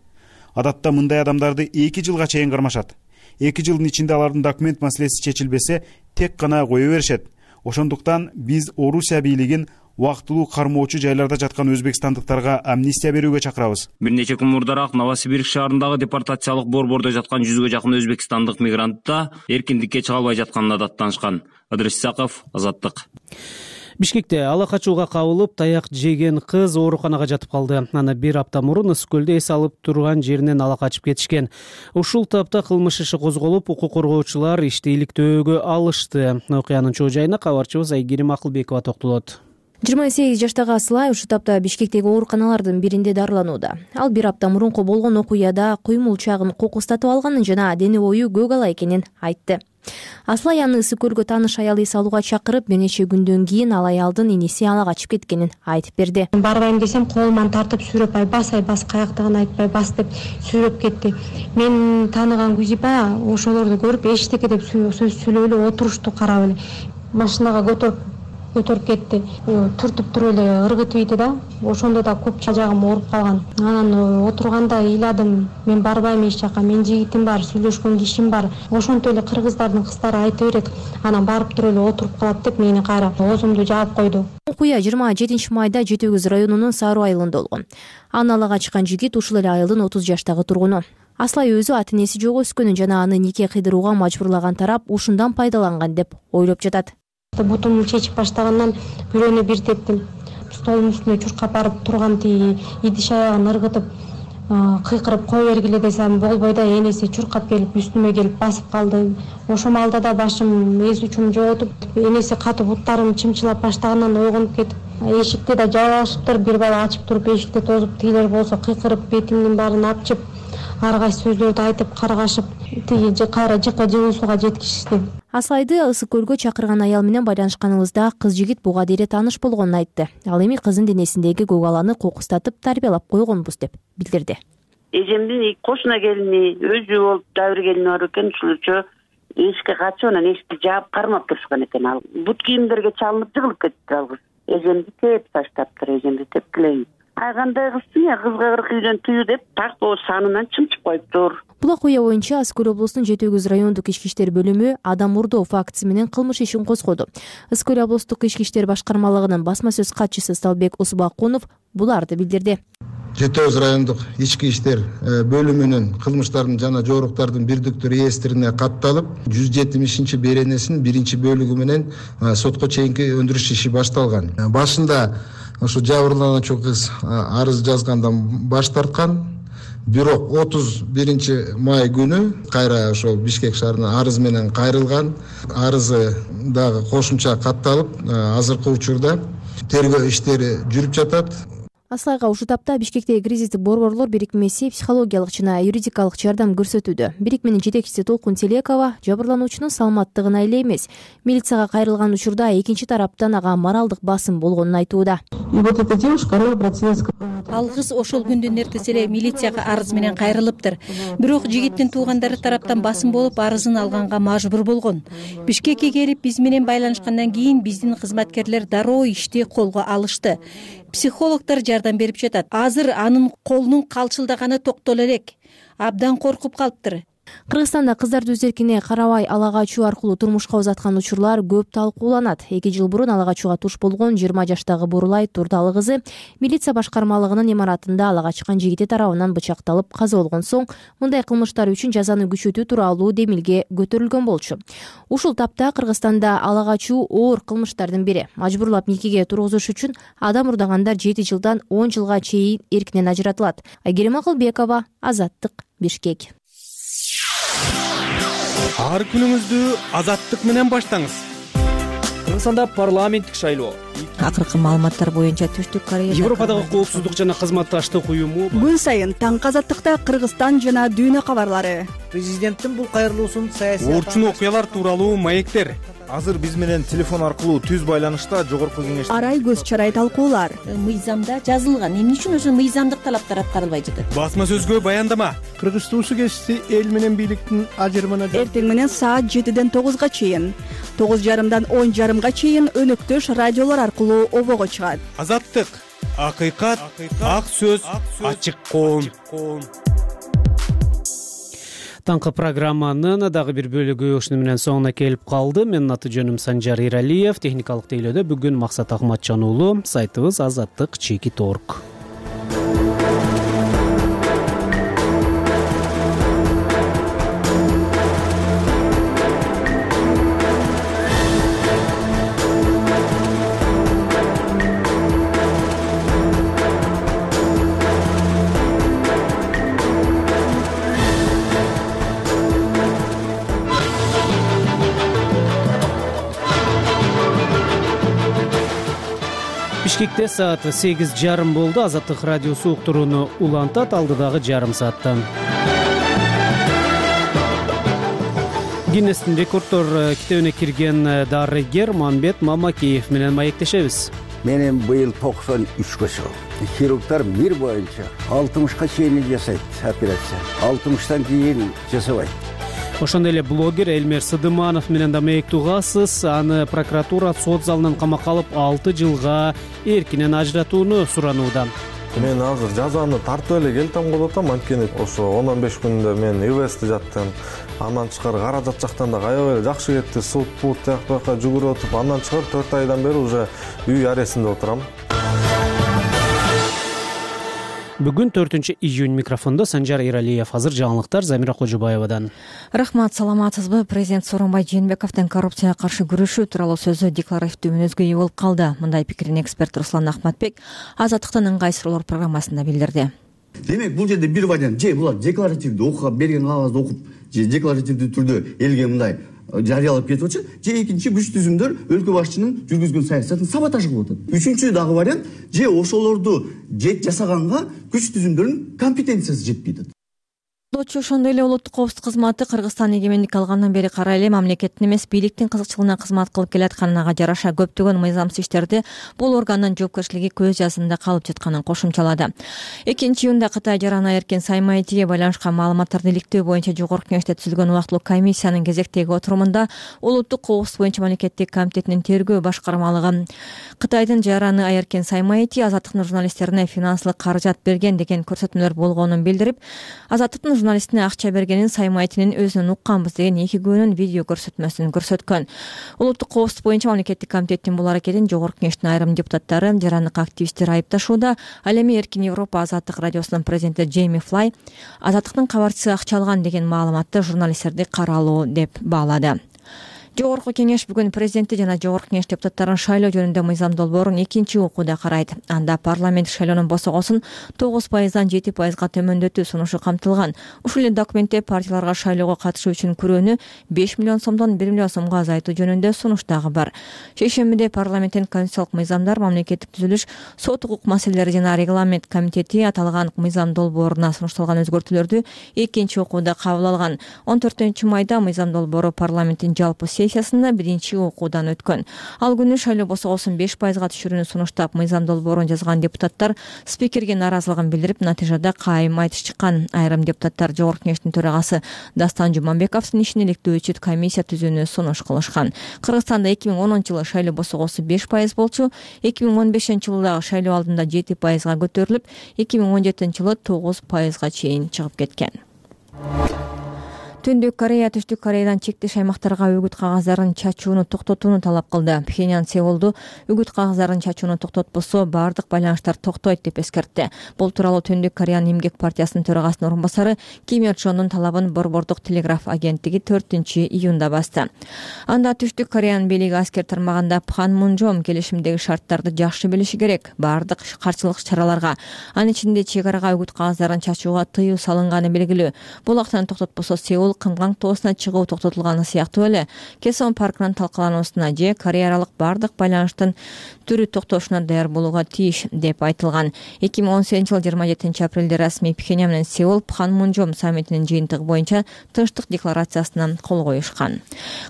Speaker 15: Адатта мындай адамдарды эки жылга чейин кармашат. эки жылдын ичинде алардын документ маселеси чечилбесе тек гана кое беришет. Ошондуктан биз Орусия бийлигин убактылуу кармоочу жайларда жаткан өзбекстандыктарга амнистия берүүгө чакырабыз.
Speaker 14: Бир нече күн мурдараак Новосибирск шаарындагы депортациялык борбордо жаткан жүзгө жакын өзбекстандык мигрант да эркиндикке чыга албай жатканына даттанышкан. Ыдырыс Исаков, Азаттык.
Speaker 1: Бишкекте ала качууга кабылып, таяк жеген кыз ооруканага жатып калды. Аны бир апта мурун Ысык көлдө эс алып турган жеринен ала качып кетишкен. Ушул тапта кылмыш иши козголуп, укук коргоочулар ишти иликтөөгө алышты. Окуянын чоо жайына кабарчыбыз Айгерим Акылбекова токтолот.
Speaker 2: жыйырма сегиз жаштагы Аслай ушул тапта Бишкектеги ооруканалардын биринде дарыланууда. Ал бир апта мурунку болгон окуяда куймулчагын кокустатып алганын жана дене бою көк ала экенин айтты. Аслай аны Ысык көлгө тааныш аял эс алууга чакырып, бир нече күндөн кийин ал аялдын иниси ала качып кеткенин айтып берди.
Speaker 16: Барбайм десем, колуман тартып сүйрөп, ай бас, ай бас, каяктагын айтпай бас деп сүйрөп кетти. Мен тааныган Гүзипа ошолорду көрүп, эчтеке деп сөз сүйлөп эле отурушту карап эле машинага көтөрүп көтөрүп кетти. Түртүп туруп эле ыргытып ийди да. Ошондо да көп жагым ооруп калган. Анан отурганда ыйладым, мен барбайм эч жака, мен жигитим бар, сүйлөшкөн кишим бар. Ошонтип эле кыргыздардын кыздары айта берет, анан барып туруп эле отуруп калат деп мени кайра оозумду жаап койду.
Speaker 2: Окуя жыйырма жетинчи майда Жети Өгүз районунун Саруу айылында болгон. Аны ала качкан жигит ушул эле айылдын отуз жаштагы тургуну. Аслай өзү ата-энеси жок өскөнүн жана аны нике кыйдырууга мажбурлаган тарап ушундан пайдаланган деп ойлоп жатат.
Speaker 16: Бутумду чечип баштагандан бирөөнө бир тептим. Столдун үстүнө чуркап барып турган тиги идиш аягын ыргытып, кыйкырып кой бергиле десем болбой да, энеси чуркап келип үстүмө келип басып калды. Ошол маалда да башым эс үчүм жоготуп, энеси катып буттарым чымчылап баштагандан ойгонуп кетип, эшикти да жабышыптыр, бир бала ачып туруп эшикти тозуп, тигилер болсо кыйкырып бетимдин баарын апчып, ар кайсы сөздөрдү айтып каргашып, тиги кайра жыкка жылуу сууга жеткизишти.
Speaker 2: Аслайды Ысык көлгө чакырган аял менен байланышканыбызда кыз жигит буга дейре тааныш болгонун айтты. Ал эми кыздын денесиндеги көк аланы кокустатып тарбиялап койгонбуз деп билдирди.
Speaker 17: Эжемдин кошуна келини өзү болуп дагы бир келини бар экен, ушулчо эшикке качып анан эшикти жаап кармап турушкан экен. Ал бут кийимдерге чалынып жыгылып кетти ал кыз. Эжемди теп таштаптыр, эжемди тепкилейин. Ай кандай кызсың я, кызга кырк үйдөн тыю деп так о санынан чымчып коюптур.
Speaker 2: Бул окуя боюнча Ысык көл облусунун Жети Өгүз райондук ички иштер бөлүмү адам урдоо фактысы менен кылмыш ишин козгоду. Ысык көл облустук ички иштер башкармалыгынын басма сөз катчысы Сталбек Усубакунов буларды билдирди.
Speaker 18: Жети Өгүз райондук ички иштер бөлүмүнүн кылмыштардын жана жоруктардын бирдиктүү реестрине катталып, жүз жетимишинчи беренесинин биринчи бөлүгү менен сотко чейинки өндүрүш иши башталган. Башында ошо жабырлануучу кыз арыз жазгандан баш тарткан. Бирок отуз биринчи май күнү кайра ошо Бишкек шаарына арыз менен кайрылган. Арызы дагы кошумча катталып, азыркы учурда тергөө иштери жүрүп жатат.
Speaker 2: Аслайга ушул тапта Бишкектеги кризистик борборлор бирикмеси психологиялык жана юридикалык жардам көрсөтүүдө. Бирикменин жетекчиси Толкун Телекова жабырлануучунун саламаттыгына эле эмес, милицияга кайрылган учурда экинчи тараптан ага моралдык басым болгонун айтууда.
Speaker 7: Ал кыз ошол күндүн эртеси эле милицияга арыз менен кайрылыптыр. Бирок жигиттин туугандары тараптан басым болуп, арызын алганга мажбур болгон. Бишкекке келип биз менен байланышкандан кийин биздин кызматкерлер дароо ишти колго алышты. Психологдор жардам берип жатат. Азыр анын колунун калчылдаганы токтоло элек. Абдан коркуп калыптыр.
Speaker 2: Кыргызстанда кыздарды өз эркине карабай ала качуу аркылуу турмушка узаткан учурлар көп талкууланат. эки жыл бурун ала качууга туш болгон жыйырма жаштагы Бурулай Турдалы кызы милиция башкармалыгынын имаратында ала качкан жигити тарабынан бычакталып каза болгон соң мындай кылмыштар үчүн жазаны күчөтүү тууралуу демилге көтөрүлгөн болчу. Ушул тапта Кыргызстанда ала качуу оор кылмыштардын бири. Мажбурлап никеге тургузуш үчүн адам урдагандар жети жылдан он жылга чейин эркинен ажыратылат. Айгерим Акылбекова, Азаттык, Бишкек.
Speaker 19: Ар күнүңүздү Азаттык менен баштаңыз.
Speaker 6: Кыргызстанда парламенттик шайлоо.
Speaker 2: Акыркы маалыматтар боюнча Түштүк Корея
Speaker 1: Европадагы коопсуздук жана кызматташтык уюму
Speaker 20: күн сайын таңкы Азаттыкта Кыргызстан жана дүйнө кабарлары.
Speaker 21: Президенттин бул кайрылуусун саясий
Speaker 19: орчун окуялар тууралуу маектер.
Speaker 21: Азыр биз менен телефон аркылуу түз байланышта жогорку кеңеш
Speaker 20: арай көз чарай талкуулар.
Speaker 7: Мыйзамда жазылган, эмне үчүн ошо мыйзамдык талаптар аткарылбай жатат?
Speaker 19: Басма сөзгө баяндама.
Speaker 11: Кыргыз туусу кести эл менен бийликтин ажырымына
Speaker 20: эртең менен саат жетиден тогузга чейин, тогуз жарымдан он жарымга чейин өнөктөш радиолор аркылуу обого чыгат.
Speaker 19: Азаттык, акыйкат, ак сөз, ачык коом.
Speaker 1: Таңкы программанын дагы бир бөлүгү ушуну менен соңуна келип калды. Менин аты жөнүм Санжар Иралиев. Техникалык тейлөөдө бүгүн Максат Ахматжан уулу. Сайтыбыз Азаттык чекит орг. Бишкекте саат сегиз жарым болду. Азаттык радиосу уктурууну улантат алдыдагы жарым сааттан. Гиннестин рекорддор китебине кирген дарыгер Мамбет Мамакеев менен маектешебиз.
Speaker 3: Менин быйыл токсон үчкө чыгып. Хирургдар мир боюнча алтымышка чейин жасайт операция. алтымыштан кийин жасабайт.
Speaker 1: Ошондой эле блогер Элмер Сыдыманов менен да маектүү угасыз. Аны прокуратура сот залынан камакка алып алты жылга эркинен ажыратууну суранууда.
Speaker 22: Мен азыр жазаны тартып эле келтем болуп атам, анткени ошо он он беш күндө мен ИВСте жаттым. Андан тышкары каражат жактан да аябай эле жакшы кетти. Суд бут жакка жакка жүгүрүп атып, андан тышкары төрт айдан бери уже үй арестинде отурам.
Speaker 1: Бүгүн төртүнчү июнь. Микрофондо Санжар Иралиев. Азыр жаңылыктар Замира Кожобаевадан.
Speaker 2: Рахмат, саламатсызбы? Президент Сооронбай Жээнбековдун коррупцияга каршы күрөшүү тууралуу сөзү декларативдүү мүнөзгө ээ болуп калды. Мындай пикирин эксперт Руслан Ахматбек Азаттыктын ыңгай суроолор программасында билдирди.
Speaker 23: Демек, бул жерде бир вариант, же булар декларативдүү окуп берген кагазды окуп, же декларативдүү түрдө элге мындай жарыялап кетип атышат, же экинчи күч түзүмдөр өлкө башчынын жүргүзгөн саясатын саботаж кылып атат. Үчүнчү дагы вариант, же ошолорду жет жасаганга күч түзүмдөрдүн компетенциясы жетпей атат.
Speaker 2: Ошондой эле улуттук коопсуздук кызматы Кыргызстан эгемендик алгандан бери карай эле мамлекеттин эмес бийликтин кызыкчылыгына кызмат кылып келатканына жараша көптөгөн мыйзамсыз иштерди бул органдын жоопкерчилиги көз жазында калып жатканын кошумчалады. экинчи июнда Кытай жараны эркин Саймайтиге байланышкан маалыматтарды иликтөө боюнча Жогорку Кеңеште түзүлгөн убактылуу комиссиянын кезектеги отурумунда улуттук коопсуздук боюнча мамлекеттик комитетинин тергөө башкармалыгы Кытайдын жараны Эркин Саймайти Азаттыктын журналисттерине финансылык каражат берген деген көрсөтмөлөр болгонун билдирип, Азаттыктын журналистине акча бергенин Саймайтинин өзүнөн укканбыз деген эки күбөнүн видео көрсөтмөсүн көрсөткөн. Улуттук коопсуздук боюнча мамлекеттик комитеттин бул аракетин Жогорку Кеңештин айрым депутаттары, жарандык активисттер айыпташууда. Ал эми Эркин Европа Азаттык радиосунун президенти Джейми Флай Азаттыктын кабарчысы акча алган деген маалыматты журналисттерди каралуу деп баалады. Жогорку Кеңеш бүгүн президенти жана Жогорку Кеңеш депутаттарын шайлоо жөнүндө мыйзам долбоорун экинчи окууда карайт. Анда парламент шайлоонун босогосун тогуз пайыздан жети пайызга төмөндөтүү сунушу камтылган. Ушул эле документте партияларга шайлоого катышуу үчүн күрөөнү беш миллион сомдон бир миллион сомго азайтуу жөнүндө сунуш дагы бар. Шейшембиде парламенттин конституциялык мыйзамдар, мамлекеттик түзүлүш, сот укук маселелери жана регламент комитети аталган мыйзам долбооруна сунушталган өзгөртүүлөрдү экинчи окууда кабыл алган. он төртүнчү майда мыйзам долбоору парламенттин жалпы сессиясында биринчи окуудан өткөн. Ал күнү шайлоо босогосун беш пайызга түшүрүүнү сунуштап, мыйзам долбоорун жазган депутаттар спикерге нааразылыгын билдирип, натыйжада кайым айтыш чыккан. Айрым депутаттар Жогорку Кеңештин төрагасы Дастан Жуманбековдун ишин иликтөө үчүн комиссия түзүүнү сунуш кылышкан. Кыргызстанда эки миң онунчу жылы шайлоо босогосу беш пайыз болчу, эки миң он бешинчи жылы дагы шайлоо алдында жети пайызга көтөрүлүп, эки миң он жетинчи жылы тогуз пайызга чейин чыгып кеткен. Түндүк Корея Түштүк Кореядан чектеш аймактарга үгүт кагаздарын чачууну токтотууну талап кылды. Пхеньян Сеулду үгүт кагаздарын чачууну токтотпосо бардык байланыштар токтойт деп эскертти. Бул тууралуу Түндүк Кореянын эмгек партиясынын төрагасынын орун басары Ким Ир Чондун талабын Борбордук телеграф агенттиги төртүнчү июнда басты. Анда Түштүк Кореянын бийлиги аскер тармагында Пханмунжом келишимдеги шарттарды жакшы билиши керек. Бардык каршылык чараларга, анын ичинде чек арага үгүт кагаздарын чачууга тыюу салынганы белгилүү. Бул актаны токтотпосо Сеул Кымган тоосуна чыгуу токтотулганы сыяктуу эле Кесон паркынын талкалануусуна же Корея аралык бардык байланыштын түрү токтошуна даяр болууга тийиш деп айтылган. эки миң он сегизинчи жылы жыйырма жетинчи апрелде расмий Пхеньян менен Сеул Пханмунжом саммитинин жыйынтыгы боюнча тынчтык декларациясына кол коюшкан.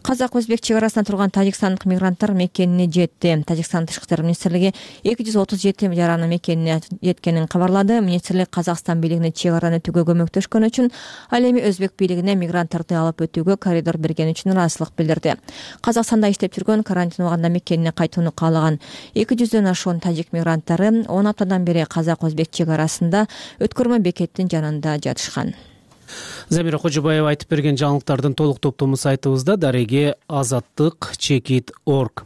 Speaker 2: Казак-өзбек чек арасында турган тажикстандык мигранттар мекенине жетти. Тажикстан тышкы иштер министрлиги эки жүз отуз жети жараны мекенине жеткенин кабарлады. Министрлик Казакстан бийлигине чек араны өтүүгө көмөктөшкөн үчүн, ал эми өзбек бийлигине мигранттарды алып өтүүгө коридор берген үчүн ыраазычылык билдирди. Казакстанда иштеп жүргөн, карантин убагында мекенине кайтууну каалаган эки жүздөн ашуун тажик мигранттары он аптадан бери Казак-өзбек чек арасында өткөрмө бекеттин жанында жатышкан.
Speaker 1: Замира Кожобаева айтып берген жаңылыктардын толук топтому сайтыбызда дареге азаттык чекит точка орг.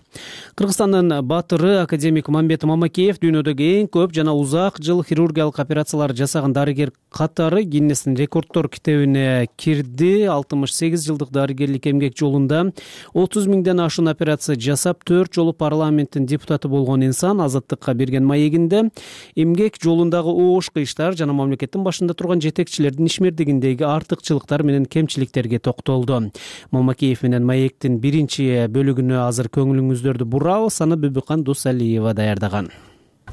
Speaker 1: Кыргызстандын баатыры академик Мамбет Мамакеев дүйнөдөгү эң көп жана узак жыл хирургиялык операциялар жасаган дарыгер катары Гиннестин рекорддор китебине кирди. алтымыш сегиз жылдык дарыгерлик эмгек жолунда отуз миңден ашуун операция жасап, төрт жолу парламенттин депутаты болгон инсан азаттыкка берген маегинде эмгек жолундагы оош кыйыштар жана мамлекеттин башында турган жетекчилердин ишмердигиндеги артыкчылыктар менен кемчиликтерге токтолду. Мамакеев менен маектин биринчи бөлүгүнө азыр көңүлүңүздөрдү бурабыз. Аны Бүбүкан Дусалиева даярдаган.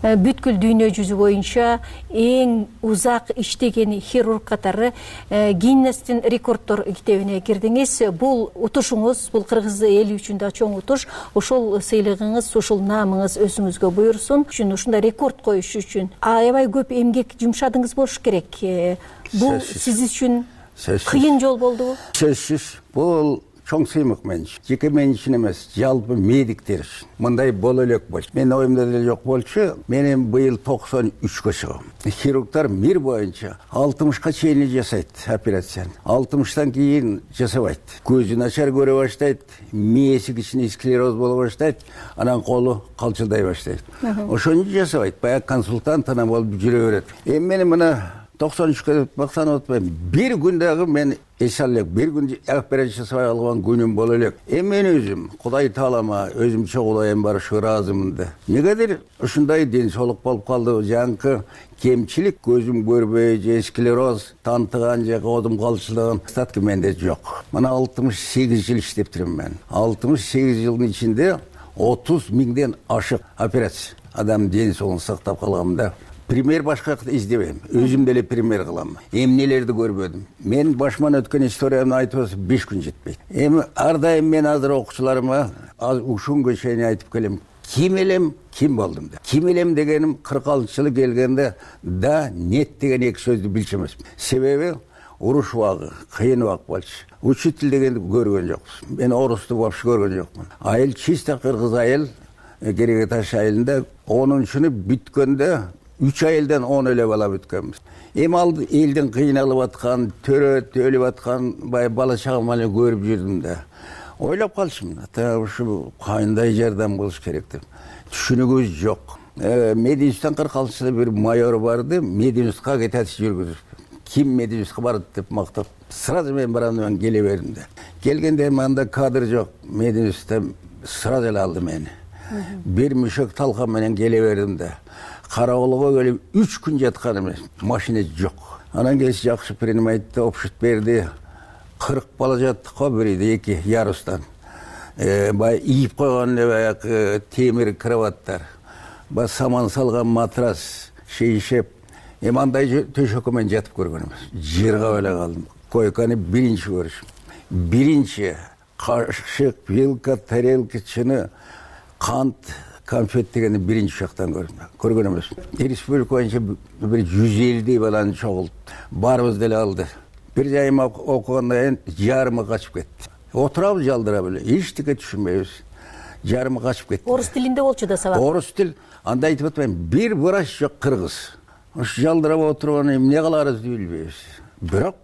Speaker 7: Бүткүл дүйнө жүзү боюнча эң узак иштеген хирург катары Гиннестин рекорддор китебине кирдиңиз. Бул утушуңуз, бул кыргыз эли үчүн да чоң утуш. Ошол сыйлыгыңыз, ушул наамыңыз өзүңүзгө буйрсун. Үчүн ушундай рекорд коюш үчүн аябай көп эмгек жумшадыңыз болуш керек. Бул сиз үчүн кыйын жол болдубу?
Speaker 3: Сөзсүз. Бул чоң сыймык мен үчүн. Жеке мен үчүн эмес, жалпы медиктер үчүн. Мындай боло элек болчу. Мен оюмда деле жок болчу. Менин быйыл токсон үчкө чыгам. Хирургдар мир боюнча алтымышка чейин жасайт операцияны. алтымыштан кийин жасабайт. Көзү начар көрө баштайт, мээси кичине склероз боло баштайт, анан колу калчылдай баштайт. Ошону жасабайт. Баягы консультант анан болуп жүрө берет. Эми мен мына токсон үчкө бактанып атпайм. Бир күн дагы мен эс алек, бир күн операция жасабай алган күнүм боло элек. Эми мен өзүм Кудай таалама өзүмчө Кудайым бар ушу ыраазымын да. Негедир ушундай ден соолук болуп калды. Жаңкы кемчилик көзүм көрбөй же склероз, тантыган же одум калчылыгын статки менде жок. Мына алтымыш сегиз жыл иштеп турмун мен. алтымыш сегиз жылдын ичинде отуз миңден ашык операция. Адам ден соолугун сактап калгам да. Пример башка издебейм. Өзүм деле пример кылам. Эмнелерди көрбөдүм. Мен башыман өткөн историямды айтып беш күн жетпейт. Эми ар дайым мен азыр окуучуларыма ушунга чейин айтып келем. Ким элем, ким болдум деп. Ким элем дегеним кырк алтынчы жылы келгенде да нет деген эки сөздү билчү эмесмин. Себеби уруш убагы, кыйын убак болчу. Учитель дегенди көргөн жокпуз. Мен орусту вообще көргөн жокмун. Айыл чисто кыргыз айыл, Кереге Таш айылында онунчуну бүткөндө үч айылдан он эле бала бүткөнбүз. Эми ал элдин кыйналып аткан, төрөт өлүп аткан бай бала чагам эле көрүп жүрдүм да. Ойлоп калчумун, ата ушу кандай жардам болуш керек деп. Түшүнүгүбүз жок. Мединстан кырк алтынчы жылы бир майор барды, Мединстка агитация жүргүзүп. Ким Мединстка барды деп мактап, сразу мен барамын, келе бердим да. Келгенде мында кадр жок, Мединста сразу эле алды мени. Бир мүшөк талкан менен келе бердим да. Кароолго келип үч күн жаткан эмес, машина жок. Анан келип жакшы принимайтты опшут берди. кырк бала жаттык го бирде эки ярустан. Э бай ийип койгон баягы темир кроваттар. Ба саман салган матрас, шейшеп. Эми андай төшөккө мен жатып көргөн эмес. Жыргап эле калдым. Койканы биринчи көрүшүм. Биринчи кашык, вилка, тарелка, чыны, кант, конфет дегенди биринчи жактан көрдүм. Көргөн эмес. Республика боюнча бир жүз элүү баланы чогултуп, баарыбыз деле алды. Бир жайым окугандан кийин жарымы качып кетти. Отурабыз жалдырап эле, эчтеке түшүнбөйбүз. Жарымы качып кетти.
Speaker 7: Орус тилинде болчу да сабак.
Speaker 3: Орус тил. Анда айтып атпайм, бир врач жок кыргыз. Ушу жалдырап отурган эмне кыларыбызды билбейбиз. Бирок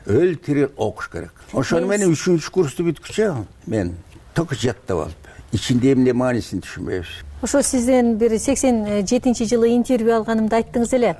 Speaker 3: өл тири окуш керек. Ошону менен үчүнчү курсту бүткүчө мен только жаттап алып, ичинде эмне маанисин түшүнбөйбүз.
Speaker 7: Ошо сизден бир сексен жетинчи жылы интервью алганымда айттыңыз эле.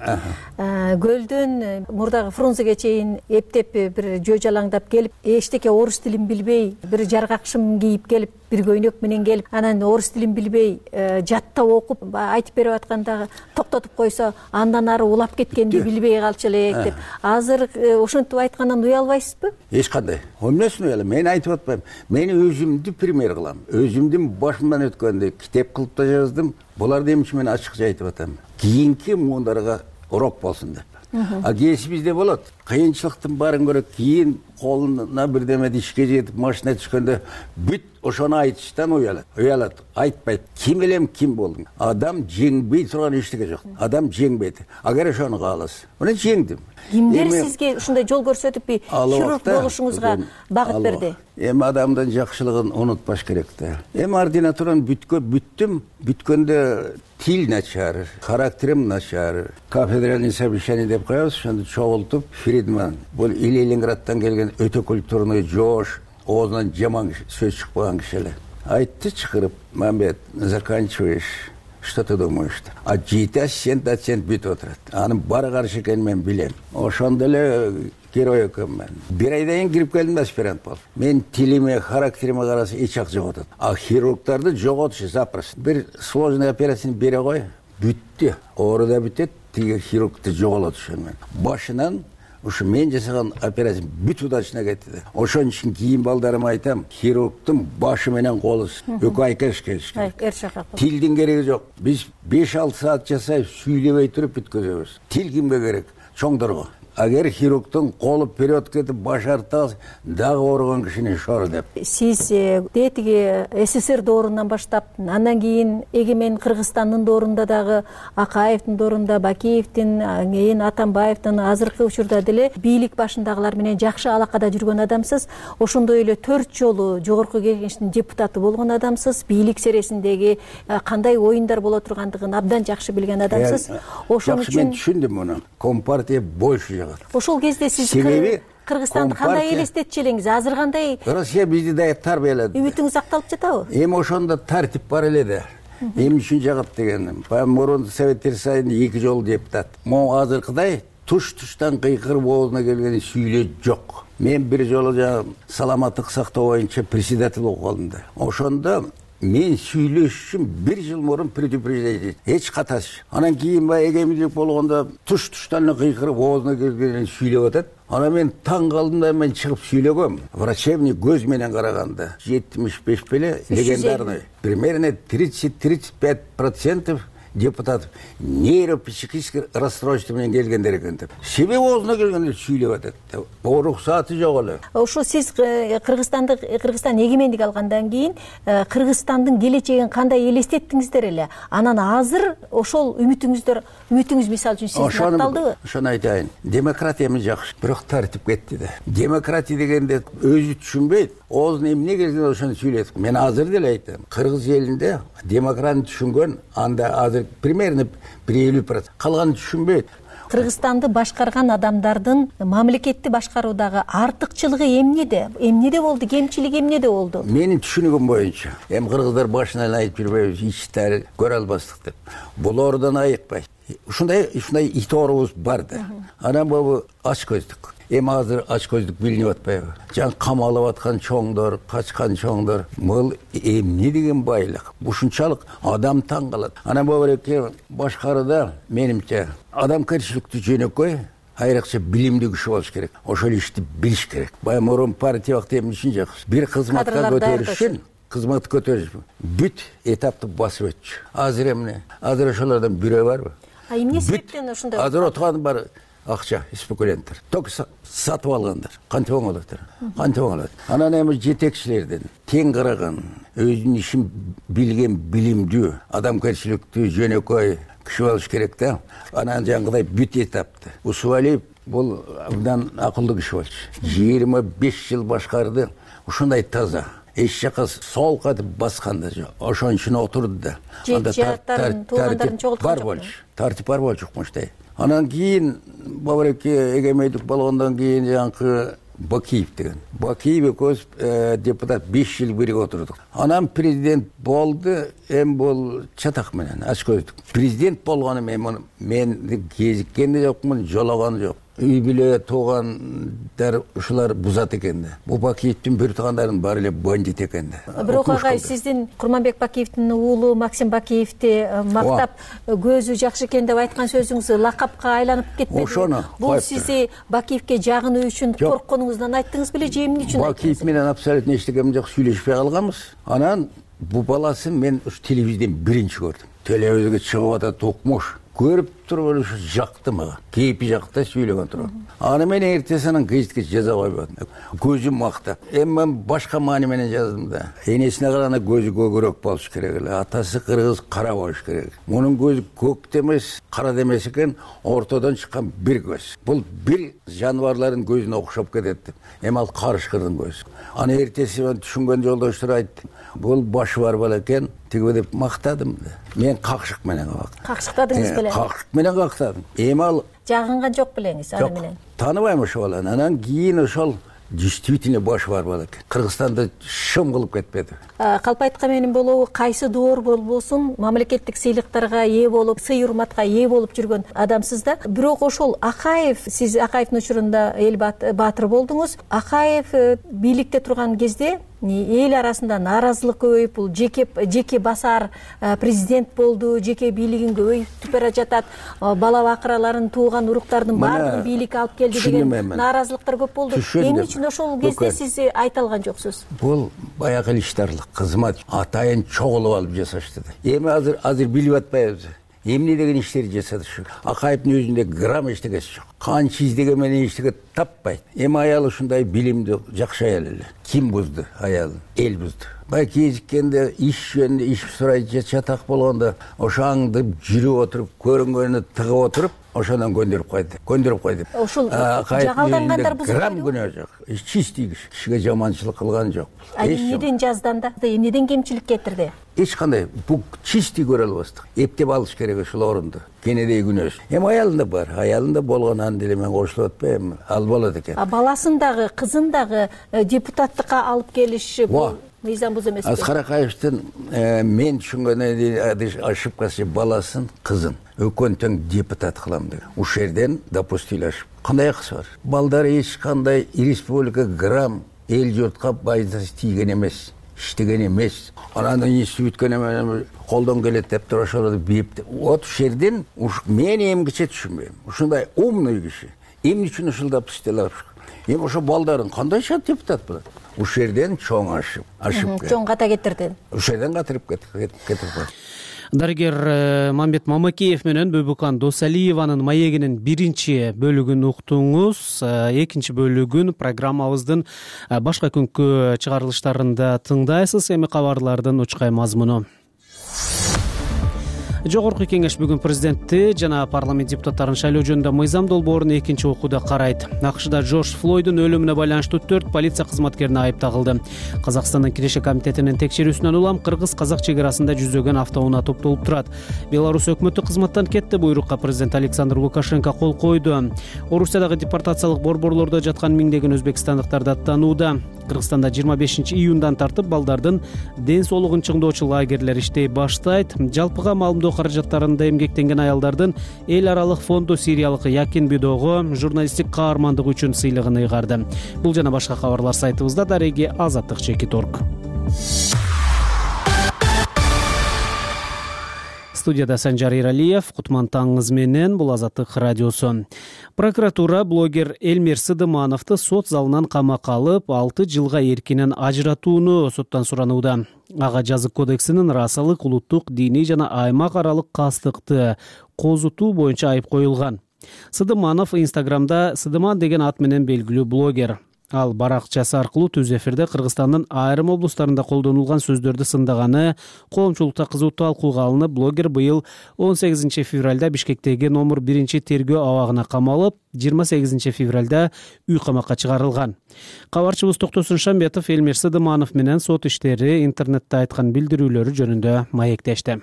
Speaker 7: Көлдөн мурдагы Фрунзеге чейин эптеп бир жөө жалаңдап келип, эчтеке орус тилин билбей, бир жаргакшым кийип келип, бир көйнөк менен келип, анан орус тилин билбей, жаттап окуп, айтып берип атканда токтотуп койсо, андан ары улап кеткенди билбей калчу элек деп. Азыр ошентип айткандан уялбайсызбы?
Speaker 3: Эч кандай. Эмнесин уялам? Мен айтып атпайм. Мен өзүмдү пример кылам. Өзүмдүн башымдан өткөндү китеп кылып да жаздым. Буларды эмчи мен ачыкча айтып атам. Кийинки муундарга урок болсун деп. А кесибизде болот. Кыйынчылыктын баарын көрөт, кийин колуна бирдеме ишке жетип машина түшкөндө бүт ошону айтыштан уялат. Уялат, айтпайт. Ким элем, ким болдум? Адам жеңбей турган эчтеке жок. Адам жеңбейт. Агар ошону кааласа, мына жеңдим.
Speaker 7: Кимдер сизге ушундай жол көрсөтүп, хирург болушуңузга багыт берди?
Speaker 3: Эми адамдын жакшылыгын унутпаш керек да. Эми ординатураны бүткө бүттүм, бүткөндө тил начар, характерим начар, кафедральный совещание деп коебуз, ошондо чогултуп, Фридман бул Ленинградтан келген өтө культурный жоош, оозунан жаман сөз чыкпаган киши эле. Айтты чакырып, Мамбет, заканчиваешь, что ты думаешь? А жети ассистент ассистент бүтүп отурат. Анын баары каршы экенин мен билем. Ошондо эле герой экенмин. Бир айдан кийин кирип келдим, аспирант болуп. Мен тилиме, характериме караса эч жак жоготот. А хирургдарды жоготушу запросто. Бир сложный операцияны бере кой, бүттү. Оору да бүтөт, тиги хирургду жоголотушун мен. Башынан ушу мен жасаган операция бүт удачно кетти. Ошон үчүн кийин балдарыма айтам, хирургдун башы менен колу экөө айкаш келишкен. Тилдин кереги жок. Биз беш алты саат жасайбыз, сүйлөбөй туруп бүткөзөбүз. Тил кимге керек? Чоңдорго. Агер хирургдун колу вперед кетип баш артта дагы ооруган кишини шор деп.
Speaker 7: Сиз детиги СССР доорунан баштап, андан кийин эгемен Кыргызстандын доорунда дагы Акаевдин доорунда, Бакиевдин, кийин Атамбаевдин, азыркы учурда деле бийлик башындагылар менен жакшы алакада жүргөн адамсыз. Ошондой эле төрт жолу жогорку кеңештин депутаты болгон адамсыз. Бийлик сересиндеги кандай оюндар боло тургандыгын абдан жакшы билген адамсыз.
Speaker 3: Ошон үчүн мен түшүндүм муну. Компартия больше.
Speaker 7: Ошол кезде сиз Кыргызстанды кандай элестетчү элеңиз? Азыр кандай?
Speaker 3: Россия бизди да тарбиялады.
Speaker 7: Үмүтүңүз акталып жатабы?
Speaker 3: Эми ошондо тартип бар эле да. Эмне үчүн жагат дегеним. Мурун Советтер Союзунда эки жолу депутат. Могу азыркыдай туш-туштан кыйкырып оозуна келген сүйлөө жок. Мен бир жолу жана саламаттык сактоо боюнча председатель болуп калдым да. Ошондо мен сүйлөш үчүн бир жыл мурун предупреждение эч каташ. Анан кийин баягы эгеминдик болгондо туш-туштан кыйкырып оозуна келген сүйлөп атат. Ана мен таң калдым да, мен чыгып сүйлөгөм. Врачебный көз менен караганда жетимиш беш беле легендарный. Примерно тридцать — тридцать пять процентов депутатов нейропсихический расстройство менен келгендер экен деп. Себеби оозуна келгенде сүйлөп атат. Уруксаты жок эле.
Speaker 7: Ошо сиз Кыргызстанды Кыргызстан эгемендик алгандан кийин Кыргызстандын келечегин кандай элестеттиңиздер эле? Анан азыр ошол үмүтүңүздөр, үмүтүңүз мисалы үчүн сиз акталдыбы?
Speaker 3: Ошону айтайын. Демократияны жакшы, бирок тартип кетти да. Демократия дегенде өзү түшүнбөйт. Оозуна эмне келген ошону сүйлөйт. Мен азыр деле айтам. Кыргыз элинде демократияны түшүнгөн анда азыр примерно бир элүү процент. Калганы түшүнбөйт.
Speaker 7: Кыргызстанды башкарган адамдардын мамлекетти башкаруудагы артыкчылыгы эмнеде? Эмнеде болду? Кемчилиги эмнеде болду?
Speaker 3: Менин түшүнүгүм боюнча, эми кыргыздар башынан айтып жүрбөйбүз, ичтери көрө албастык деп. Булордон айыкпайт. Ушундай, ушундай ит оорубуз бар да. Анан бул ач көздүк. Эми азыр ач көздүк билинип атпайбы? Жан камалып аткан чоңдор, качкан чоңдор, бул эмне деген байлык? Ушунчалык адам таң калат. Анан бобуреке башкарууда менимче адамкерчиликтүү жөнөкөй, айрыкча билимдүү киши болуш керек. Ошол ишти билиш керек. Бая мурун партия вакыты эмне үчүн жакшы? Бир кызматка көтөрүш үчүн кызмат көтөрүш бүт этапты басып өтчү. Азыр эмне? Азыр ошолордон бирөө барбы?
Speaker 7: А эмне себептен ушундай?
Speaker 3: Азыр отурган бар акча, спекулянттар. Только сатып алгандар. Кантип оңолот? Кантип оңолот? Анан эми жетекчилерден тең караган, өзүнүн ишин билген, билимдүү, адамкерчиликтүү, жөнөкөй киши болуш керек да. Анан жаңгыдай бүт этапты. Усубалиев бул абдан акылдуу киши болчу. жыйырма беш жыл башкарды. Ушундай таза. Эч жака сол катып басканда жок. Ошон үчүн отурду да.
Speaker 7: Жааттарын, туугандарын чогулткан жок.
Speaker 3: Тартип бар болчу мындай. Анан кийин бабареке эгемендик болгондон кийин жаңкы Бакиев деген. Бакиев экөөбүз депутат беш жыл бирге отурдук. Анан президент болду, эми бул чатак менен ач көздүк. Президент болгону мен мен кезиккен да жокмун, жологон жок. Үй бүлө туугандар ушулар бузат экен да. Бул Бакиевдин бир туугандарынын баары эле бандит экен да.
Speaker 7: Бирок агай, сиздин Курманбек Бакиевдин уулу Максим Бакиевди мактап, көзү жакшы экен деп айткан сөзүңүз лакапка айланып кетпеди.
Speaker 3: Ошону
Speaker 7: бул сизи Бакиевге жагынуу үчүн коркконуңуздан айттыңыз беле же эмне үчүн?
Speaker 3: Бакиев менен абсолютно эчтеке жок сүйлөшпөй калганбыз. Анан бул баласын мен ушу телевизордон биринчи көрдүм. Телевизорго чыгып атат укмуш. Көрүп туруп ушу жакты мага. Кейпи жакта сүйлөгөн туруп. Аны мен эртесинен гезитке жаза койбодум. Көзүм мактап. Эми мен башка маани менен жаздым да. Энесине караганда көзү көгөрөөк болуш керек эле. Атасы кыргыз кара болуш керек. Мунун көзү көк демес, кара демес экен, ортодон чыккан бир көз. Бул бир жаныбарлардын көзүнө окшоп кетет деп. Эми ал карышкырдын көзү. Аны эртеси мен түшүнгөн жолдоштор айтты. Бул башы бар бала экен, тиги деп мактадым да. Мен какшык менен калдым.
Speaker 7: Какшыктадыңыз беле?
Speaker 3: Какшык менен кактадым. Эми ал
Speaker 7: жагынган жок белеңиз аны менен?
Speaker 3: Тааныбайм ошол баланы. Анан кийин ошол действительно башы бар бала экен. Кыргызстанды шым кылып кетпеди.
Speaker 7: Калп айткан менен болобу, кайсы доор болбосун мамлекеттик сыйлыктарга ээ болуп, сый урматка ээ болуп жүргөн адамсыз да. Бирок ошол Акаев, сиз Акаевдин учурунда эл баатыры болдуңуз. Акаев бийликте турган кезде эл арасында нааразылык көбөйүп, бул жеке жеке басар президент болду, жеке бийлигин көбөйтүп бара жатат, бала бакыраларын тууган уруктардын баардыгын бийликке алып келди деген нааразылыктар көп болду. Эмне үчүн ошол кезде сиз айта алган жоксуз?
Speaker 3: Бул баягы илиштарлык кызмат атайын чогулуп алып жасашты да. Эми азыр азыр билип атпайбыз. Эмне деген иштерди жасады ушу. Акаевдин өзүндө грамм эчтегеси жок. Канча издеген менен эчтеге таппайт. Эми аял ушундай билимдүү, жакшы аял эле. Ким бузду аялын? Эл бузду. Бай кезиккенде иш жөнүндө иш сурай чатак болгондо ошо аңдып жүрүп отуруп, көрүнгөнү тыгып отуруп, ошондон көндүрүп койду. Көндүрүп койду.
Speaker 7: Ошол жагалдангандар бузуп
Speaker 3: грамм күнөө жок. Чистий киши. Кишиге жаманчылык кылган жок.
Speaker 7: Эмнеден жазданда, эмнеден кемчилик кетирди?
Speaker 3: Эч кандай бул чистий көрө албастык. Эптеп алыш керек ошол орунду. Кенедей күнөөс. Эми аялында бар. Аялында болгонан деле мен кошулуп атпайм. Ал болот экен.
Speaker 7: А баласын дагы, кызын дагы депутаттыкка алып келиш бул мыйзам бузуу эмеспи?
Speaker 3: Аскар Акаевдин мен түшүнгөнү ошибкасы баласын, кызын өкөн тең депутат кылам деген. Ушул жерден допустили ошибка. Кандай акысы бар? Балдар эч кандай республика грамм эл журтка пайдасы тийген эмес. Иштеген эмес. Анан институт бүткөн эме колдон келет деп туруп ошолорду бийип. Вот ушул жерден мен эмгиче түшүнбөйм. Ушундай умный киши эмне үчүн ушул допустили? Эми ошо балдарын кандайча депутат болот? Ушул жерден чоң ашып, ашып.
Speaker 7: Чоң ката кетирди.
Speaker 3: Ушул жерден катырып кетип кетип.
Speaker 1: Дарыгер Мамбет Мамакеев менен Бөбүкан Досалиеванын маегинин биринчи бөлүгүн уктуңуз. Экинчи бөлүгүн программабыздын башка күnkү чыгарылыштарында тыңдайсыз. Эми кабарлардын учкай мазмуну. Жогорку кеңеш бүгүн президентти жана парламент депутаттарын шайлоо жөнүндө мыйзам долбоорун экинчи окууда карайт. АКШда Джордж Флойдун өлүмүнө байланыштуу төрт полиция кызматкерине айып тагылды. Казакстандын Киреше комитетинин текшерүүсүнөн улам кыргыз-казак чек арасында жүздөгөн автоунаа топтолуп турат. Беларусь өкмөтү кызматтан кетти буйрукка президент Александр Лукашенко кол койду. Орусиядагы депортациялык борборлордо жаткан миңдеген өзбекстандыктар даттанууда. Кыргызстанда жыйырма бешинчи июндан тартып балдардын ден соолугун чыңдоочу лагерлер иштей баштайт. Жалпыга маалымдоо каражаттарында эмгектенген аялдардын эл аралык фонду сириялык Якин Бидого журналисттик каармандыгы үчүн сыйлыгын ыйгарды. Бул жана башка кабарлар сайтыбызда. Дареги азаттык чекит орг. Студияда Санжар Иралиев, Кутман таңыңыз менен, бул Азаттык радиосу. Прокуратура блогер Элмир Сыдымановду сот залынан камакка алып, алты жылга эркинен ажыратууну соттон суранууда. Ага жазык кодексинин расалык, улуттук, диний жана аймак аралык кастыкты козутуу боюнча айып коюлган. Сыдыманов Инстаграмда Сыдыман деген ат менен белгилүү блогер. Ал баракчасы аркылуу түз эфирде Кыргызстандын айрым облустарында колдонулган сөздөрдү сындаганы коомчулукта кызуу талкууга алынып, блогер быйыл он сегизинчи февралда Бишкектеги номер биринчи тергөө абагына камалып, жыйырма сегизинчи февралда үй камакка чыгарылган. Кабарчыбыз Токтосун Шамбетов Элмир Сыдыманов менен сот иштери интернетте айткан билдирүүлөрү жөнүндө маектешти.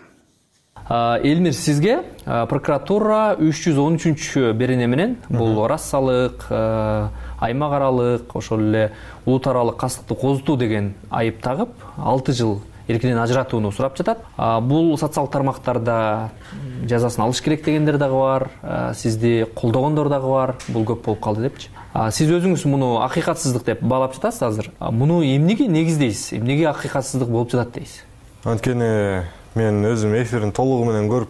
Speaker 6: Элмир, сизге прокуратура үч жүз он үчүнчү берене менен бул расалык, аймак аралык, ошол эле улут аралык кастыкты козутуу деген айып тагып, алты жыл эркинен ажыратууну сурап жатат. Бул социалдык тармактарда жазасын алыш керек дегендер дагы бар, сизди колдогондор дагы бар. Бул көп болуп калды депчи. Сиз өзүңүз муну акыйкатсыздык деп баалап жатасыз азыр. Муну эмнеге негиздейсиз? Эмнеге акыйкатсыздык болуп жатат дейсиз?
Speaker 22: Анткени мен өзүм эфирин толугу менен көрүп,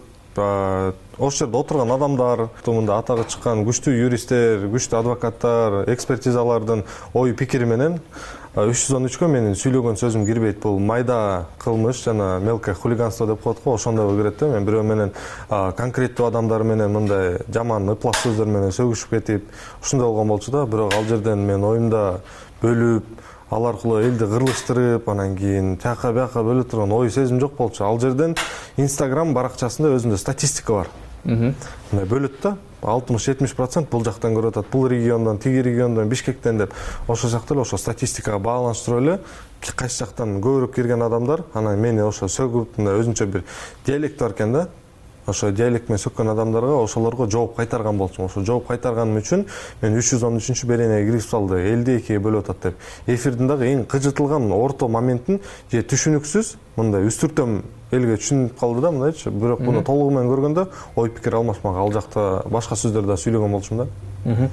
Speaker 22: ошол жерде отурган адамдар, мында атагы чыккан күчтүү юристтер, күчтүү адвокаттар, экспертизалардын ой пикири менен үч жүз он үчкө менин сүйлөгөн сөзүм кирбейт. Бул майда кылмыш жана мелкое хулиганство деп коет го, ошондой кирет да. Мен бирөө менен конкреттүү адамдар менен мындай жаман ыплак сөздөр менен сөгүшүп кетип, ушундай болгон болчу да. Бирок ал жерден мен оюмда бөлүп, ал аркылуу элди кырлыштырып, анан кийин тияка бияка бөлө турган ой сезим жок болчу. Ал жерден Инстаграм баракчасында өзүндө статистика бар. Мына бөлөт да, алтымыш жетимиш процент бул жактан көрүп атат, бул региондон, тиги региондон, Бишкектен деп. Ошол жакта эле ошо статистикага байланыштырып эле кайсы жактан көбүрөөк кирген адамдар, анан мени ошо сөгүп, мындай өзүнчө бир диалект бар экен да. ошо диалект менен сөккөн адамдарга ошолорго жооп кайтарган болчумун. Ошо жооп кайтарганым үчүн мен үч жүз он үчүнчү беренеге кирип салды. элди экиге бөлүп атат деп. Эфирдин дагы эң кыжытылган орто моментин же түшүнүксүз мындай үстүртөм элге түшүнүп калды да мындайчы. Бирок муну толугу менен көргөндө ой пикир алмашмак. Ал жакта башка сөздөр да сүйлөгөн болчумун да.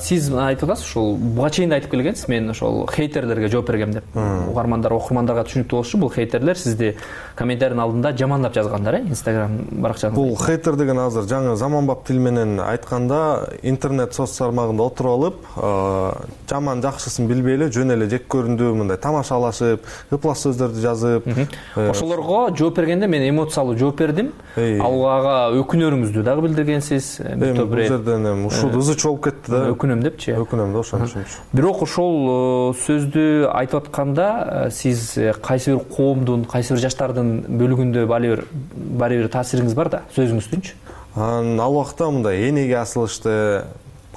Speaker 6: Сиз айтып атасыз, ушул буга чейин да айтып келгенсиз, мен ошол хейтерлерге жооп бергем деп. Угармандар, окурмандарга түшүнүктүү болушу, бул хейтерлер сизди комментарийдин алдында жамандап жазгандар, э, Instagram баракчаңызда.
Speaker 22: Бул хейтер деген азыр жаңы заманбап тил менен айтканда интернет соц тармагында отуруп алып, жаман жакшысын билбей эле жөн эле жек көрүндүү мындай тамашалашып, ыплас сөздөрдү жазып,
Speaker 6: ошолорго жооп бергенде мен эмоциялуу жооп бердим. Ага өкүнөрүңүздү дагы билдиргенсиз.
Speaker 22: Бул жерден эми ушул ызы чогуп кетти.
Speaker 6: Өкүнөм депчи.
Speaker 22: Өкүнөм да ошон үчүн.
Speaker 6: Бирок ошол сөздү айтып атканда сиз кайсы бир коомдун, кайсы бир жаштардын бөлүгүндө баары бир баары бир таасириңиз бар да, сөзүңүздүнчү.
Speaker 22: Ал убакта мындай энеге асылышты,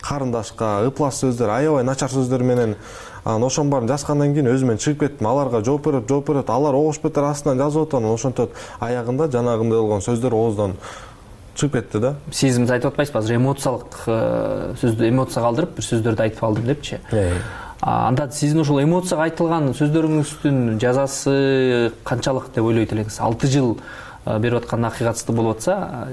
Speaker 22: карындашка, ыплас сөздөр, аябай начар сөздөр менен анан ошонун баарын жазгандан кийин өзүмөн чыгып кеттим. Аларга жооп берип, жооп берип, алар огош бетер астынан жазып атат, ошентип аягында жанагындай болгон сөздөр ооздон чыгып кетти да.
Speaker 6: Сиз айтып атпайсызбы, азыр эмоциялык сөздү эмоцияга калтырып бир сөздөрдү айтып алдым депчи. Анда сиздин ошол эмоцияга айтылган сөздөрүңүздүн жазасы канчалык деп ойлойт элеңиз? алты жыл берип аткан акыйкатсыздык болуп атса,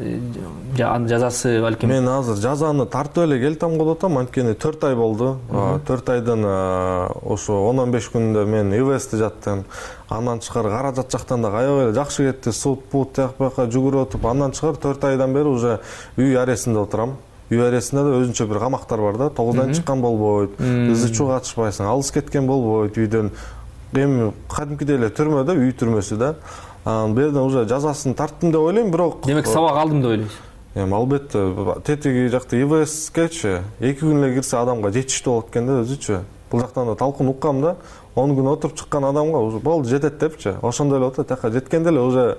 Speaker 6: анын жазасы балким.
Speaker 22: Мен азыр жазаны тартып эле келтем болуп атам, анткени төрт ай болду. төрт айдын ошо он он беш күнүндө мен ИВСте жаттым. Андан тышкары каражат жактан да аябай эле жакшы кетти. Суд, пут тияк бияка жүгүрүп отуп, андан тышкары төрт айдан бери уже үй арестинде отурам. Үй арестинде да өзүнчө бир камактар бар да. тогуздан чыккан болбойт, ызы чуу катышпайсың, алыс кеткен болбойт үйдөн. Эми кадимкидей эле түрмөдө, үй түрмөсү да. Анан берден уже жазасын тарттым деп ойлойм, бирок
Speaker 6: демек сабак алдым деп ойлойсуз.
Speaker 22: Эми албетте тетиги жакта ИВСкечи эки күн эле кирсе адамга жетиштүү болот экен да өзүчү. Бул жактан да талкын уккам да, он күн отуруп чыккан адамга уже болду жетет депчи. Ошондой эле отур, тияка жеткенде эле уже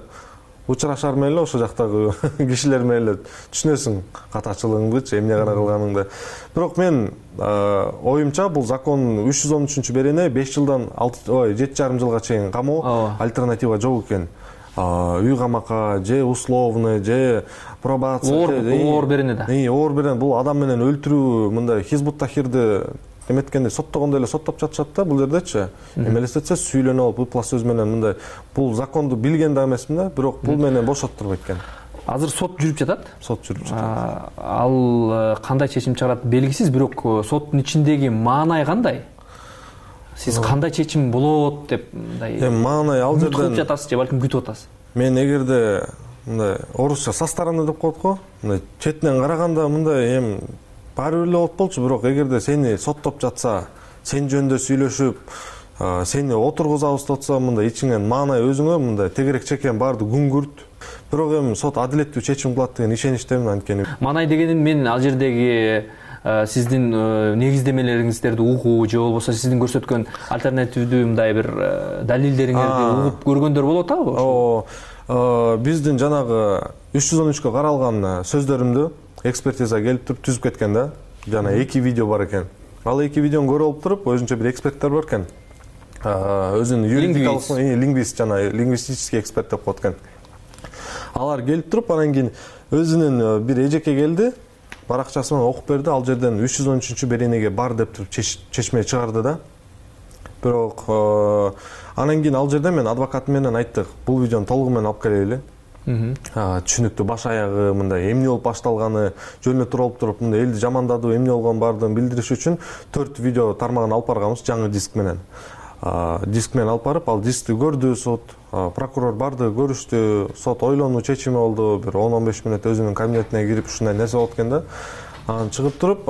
Speaker 22: учурашар менен эле ошо жактагы кишилер менен эле түшүнөсүң катачылыгыңдычы, эмне гана кылганыңды. Бирок мен оюмча бул закон үч жүз он үчүнчү берене беш жылдан ой жети жарым жылга чейин камоо альтернатива жок экен. Үй камакка же условный же пробация
Speaker 6: оор берене да.
Speaker 22: Оор берене бул адам менен өлтүрүү, мындай хизбут тахирди эметкенде соттогондой эле соттоп жатышат да бул жердечи. Эми элестетсе сүйлөнүп алып ыплас сөз менен мындай бул законду билген да эмесмин да, бирок бул менен бошоттурбайт экен.
Speaker 6: Азыр сот жүрүп жатат?
Speaker 22: Сот жүрүп жатат.
Speaker 6: Ал кандай чечим чыгарат белгисиз, бирок соттун ичиндеги маанай кандай? Сиз кандай чечим болот деп мындай
Speaker 22: эми маанай ал жерден
Speaker 6: кылып жатасыз же балким күтүп атасыз?
Speaker 22: Мен эгерде мындай орусча со стороны деп коет го, мындай четинен караганда мындай эми баары бир эле болуп болчу, бирок эгерде сени соттоп жатса, сен жөнүндө сүйлөшүп, сени отургузабыз деп атса, мындай ичиңен маанай өзүңө мындай тегерек чекен баарды күңгүрт. Бирок эми сот адилеттүү чечим кылат деген ишеничтемин анткени.
Speaker 6: Маанай дегеним мен ал жердеги сиздин негиздемелериңиздерди угуу же болбосо сиздин көрсөткөн альтернативдүү мындай бир далилдериңерди угуп көргөндөр болуп атабы?
Speaker 22: Ооба. Биздин жанагы үч жүз он үчкө каралган сөздөрүмдү экспертиза келип туруп түзүп кеткен да. Жана эки видео бар экен. Ал эки видеону көрүп алып туруп, өзүнчө бир эксперттер бар экен. Өзүнүн юридикалык лингвист жана лингвистический эксперт деп коет экен. Алар келип туруп, анан кийин өзүнүн бир эжеке келди, баракчасы менен окуп берди. Ал жерден үч жүз он үчүнчү беренеге бар деп туруп чечме чыгарды да. Бирок анан кийин ал жерде мен адвокатым менен айттык, бул видеону толугу менен алып келели. Түшүнүктүү баш аягы мындай эмне болуп башталганы жөнүнө туруп туруп мындай элди жамандадуу эмне болгон баардыгын билдириш үчүн төрт видео тармагын алып барганбыз жаңы диск менен. Диск менен алып барып, ал дискти көрдү сот, прокурор барды, көрүштү, сот ойлонуу чечими болду, бир он он беш мүнөт өзүнүн кабинетине кирип ушундай нерсе болот экен да. Анан чыгып туруп,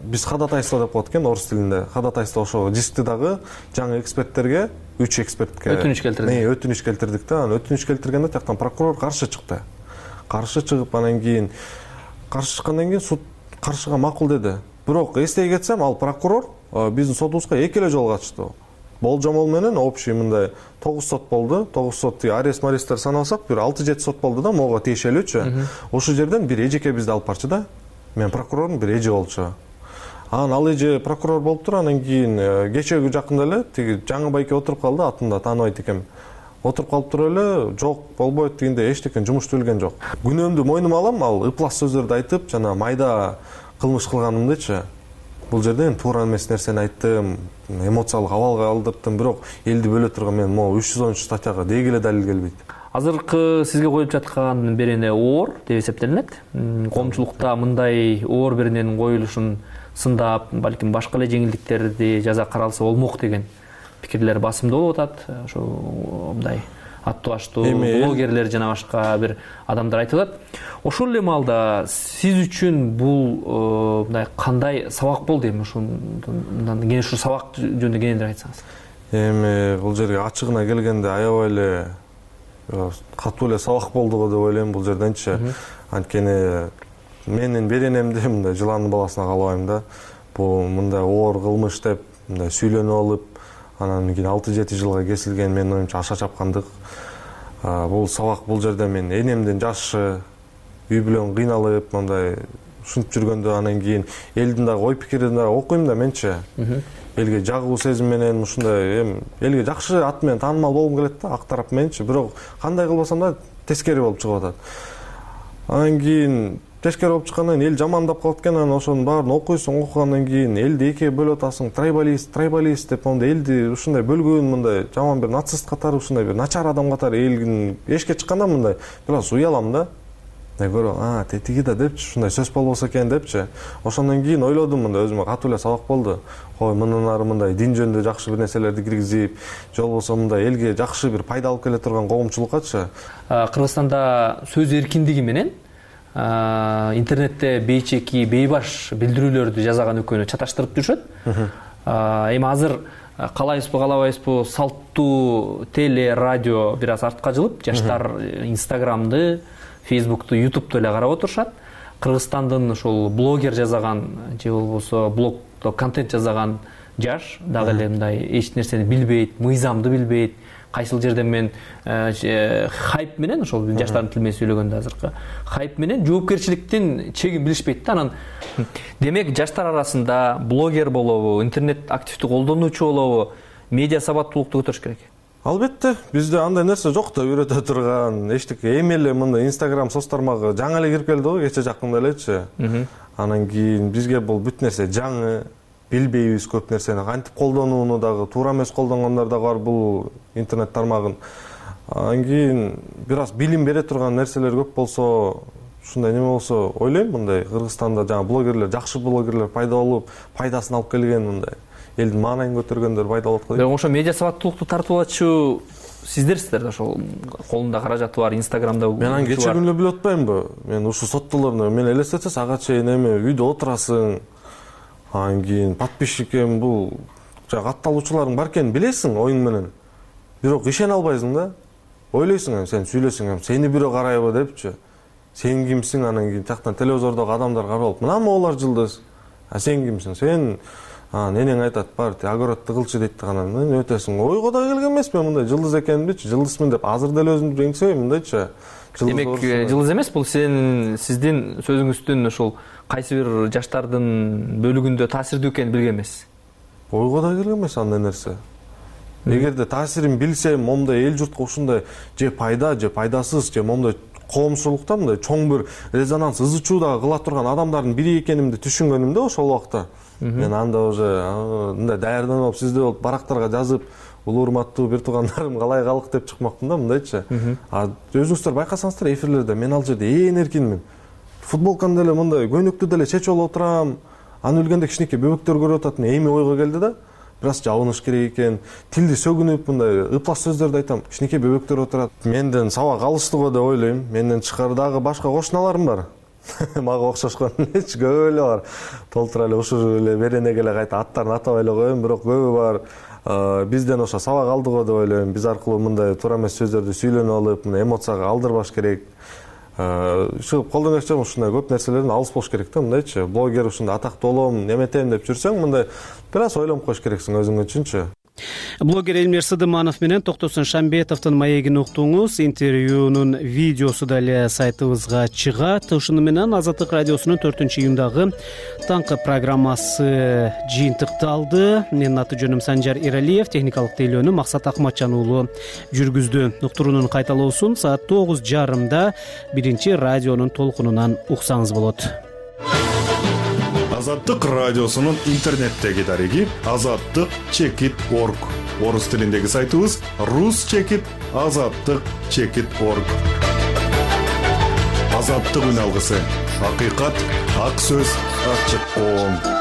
Speaker 22: биз ходатайство деп коет экен орус тилинде. Ходатайство ошо дискти дагы жаңы эксперттерге үч экспертке
Speaker 6: өтүнүч келтирдик.
Speaker 22: Мен өтүнүч келтирдик да. Анан өтүнүч келтиргенде тияктан прокурор каршы чыкты. Каршы чыгып, анан кийин каршы чыккандан кийин суд каршыга макул деди. Бирок эстей кетсем, ал прокурор биздин сотубузга эки эле жолу катышты. Болжомол менен общий мындай тогуз сот болду. тогуз сот арест маристер саналсак, бир алты жети сот болду да, мого тиешелүүчү. Ошол жерден бир эжеке бизди алып барчу да. Мен прокурордун бир эже болчу. Анан ал эже прокурор болуптур, анан кийин кечеги жакында эле тиги жаңы байке отуруп калды, атын да тааныбайт экем. отуруп калып туруп эле жок болбойт дегенде эчтеке жумуш түзүлгөн жок. Күнөөмдү мойнума алам, ал ыплас сөздөрдү айтып, жана майда кылмыш кылганымдычы. Бул жерде туура эмес нерсени айттым, эмоциялык абалга алдырттым, бирок элди бөлө турган мен могу үч жүз он үч статьяга дегеле далил келбейт.
Speaker 6: Азыркы сизге коюп жаткан берене оор деп эсептелинет. Коомчулукта мындай оор берененин коюлушун сындап, балким башка эле жеңилдиктерди жаза каралса болмок деген пикирлер басымдуу болуп атат. Ошо мындай аттуу аштуу блогерлер жана башка бир адамдар айтып атат. Ошол эле маалда сиз үчүн бул мындай кандай сабак болду эми ушундан кийин ушу сабак жөнүндө кененирээк айтсаңыз.
Speaker 22: Эми бул жерге ачыгына келгенде аябай эле катуу эле сабак болду го деп ойлойм бул жерденчи. Анткени менин беренемди мындай жыландын баласына каалабайм да. Бул мындай оор кылмыш деп мындай сүйлөнүп алып, анан кийин алты жети жылга кесилген менин оюмча аша чапкандык. Бул сабак бул жерде мен энемдин жашы, үй бүлөм кыйналып, мындай ушинтип жүргөндө анан кийин элдин дагы ой пикирин дагы окуйм да менчи. Элге жагуу сезим менен ушундай эми элге жакшы ат менен таанымал болгум келет да, ак тарап менчи, бирок кандай кылбасам да тескери болуп чыгып атат. Анан кийин тескери болуп чыккандан кийин эл жамандап калат экен, анан ошонун баарын окуйсуң, окугандан кийин элди экиге бөлүп атасың, трайбалист, трайбалист деп монда элди ушундай бөлгөн, мындай жаман бир нацист катары, ушундай бир начар адам катары элгин эшикке чыкканда мындай бир аз уялам да. Көрөм, а, тетиги да депчи, ушундай сөз болбосо экен депчи. Ошондон кийин ойлодум, мындай өзүмө катуу эле сабак болду. Ой, мындан ары мындай дин жөнүндө жакшы бир нерселерди киргизип, же болбосо мындай элге жакшы бир пайда алып келе турган коомчулуккачы.
Speaker 6: Кыргызстанда сөз эркиндиги менен интернетте бейчеки, бейбаш билдирүүлөрдү жазаган экөөнү чаташтырып жүрүшөт. Эми азыр каалайбызбы, каалабайбызбы, салттуу теле, радио бир аз артка жылып, жаштар Инстаграмды, Фейсбукту, Ютубту эле карап отурушат. Кыргызстандын ошол блогер жасаган же болбосо блогдо контент жасаган жаш дагы эле мындай эч нерсени билбейт, мыйзамды билбейт. Кайсыл жерде мен хайп менен ошол жаштардын тили менен сүйлөгөндө азыркы хайп менен жоопкерчиликтин чегин билишпейт да. Анан демек жаштар арасында блогер болобу, интернет активдүү колдонуучу болобу, медиа сабаттуулукту көтөрүш керек.
Speaker 22: Албетте, бизде андай нерсе жок да, үйрөтө турган эчтеке. Эми эле мындай Instagram соц тармагы жаңы эле кирип келди го, кече жакында элечи. Анан кийин бизге бул бүт нерсе жаңы, билбейбиз көп нерсени, кантип колдонууну дагы, туура эмес колдонгондор дагы бар бул интернет тармагын. Анан кийин бир аз билим бере турган нерселер көп болсо, ушундай неме болсо, ойлойм мындай Кыргызстанда жаңы блогерлер, жакшы блогерлер пайда болуп, пайдасын алып келген мындай элдин маанайын көтөргөндөр пайда болот го.
Speaker 6: Бирок ошо медиа сабаттуулукту тартып алчу сиздерсиздер да, ошол колунда каражаты бар, Инстаграмда.
Speaker 22: Мен аны кече күнү билип атпаймынбы? Мен ушу соттолоруна мен элестетсе ага чейин эми үйдө отурасың. Анан кийин подписчикем бул жана катталуучуларың бар экенин билесиң оюң менен. Бирок ишене албайсың да. Ойлойсуң эми сен сүйлөсөң эми сени бирөө карайбы депчи. Сен кимсиң? Анан кийин тактан телевизордогу адамдар карап, мына моолар жылдыз. А сен кимсиң? Сен энең айтат, бар, огородду кылчы дейт, анан өтөсүң. Ойго да келген эмесмин мындай жылдыз экенимдичи, жылдызмын деп азыр деле өзүмдү жеңсебейм мындайчы.
Speaker 6: Демек жылдыз эмес, бул сен сиздин сөзүңүздүн ошол кайсы бир жаштардын бөлүгүндө таасирдүү экенин билген эмес.
Speaker 22: Ойго да келген эмес андай нерсе. Эгерде таасирин билсем, момундай эл журтка ушундай же пайда, же пайдасыз, же момундай коомчулукта мындай чоң бир резонанс, ызы чуу дагы кыла турган адамдардын бири экенимди түшүнгөнүмдө ошол убакта. Мен анда уже мындай даярданып, сизде болуп барактарга жазып, улуу урматтуу бир туугандарым калай калык деп чыкмакмын да мындайчы. А өзүңүздөр байкасаңыздар, эфирлерде мен ал жерде ээн эркинмин. Футболканы деле мындай көйнөктү деле чечип алып отурам. Аны билгенде кичинекей бөбөктөр көрүп атат. Эми ойго келди да. Бир аз жабыныш керек экен. Тилди сөгүнүп мындай ыплас сөздөрдү айтам. Кичинекей бөбөктөр отурат. Менден сабак алышты го деп ойлойм. Менден тышкары дагы башка кошуналарым бар. Мага окшошкон эч көп эле бар. Толтура эле ушул эле беренеге эле кайта аттарын атабай эле коем, бирок көбү бар. Бизден ошо сабак алды го деп ойлойм. Биз аркылуу мындай туура эмес сөздөрдү сүйлөнүп алып, мындай эмоцияга алдырбаш керек. Ушу колдон келишинче ушундай көп нерселерден алыс болуш керек да, мындайчы. Блогер ушундай атактуу болом, неметем деп жүрсөң, мындай бир аз ойлонуп коюш керексиң өзүң үчүнчү.
Speaker 1: Блогер Элмир Сыдыманов менен Токтосун Шамбетовдун маегин уктуңуз. Интервьюнун видеосу да эле сайтыбызга чыгат. Ушуну менен Азаттык радиосунун төртүнчү июндагы таңкы программасы жыйынтыкталды. Менин аты жөнүм Санжар Иралиев, техникалык тейлөөнү Максат Акматжан уулу жүргүздү. Уктуруунун кайталоосун саат тогуз жарымда биринчи радионун толкунунан уксаңыз болот.
Speaker 4: Азаттык радиосунун интернеттеги дареги азаттык чекит орг. Орус тилиндеги сайтыбыз рус чекит азаттык чекит орг. Азаттык үн алгысы. Акыйкат, ак сөз, ачык коом.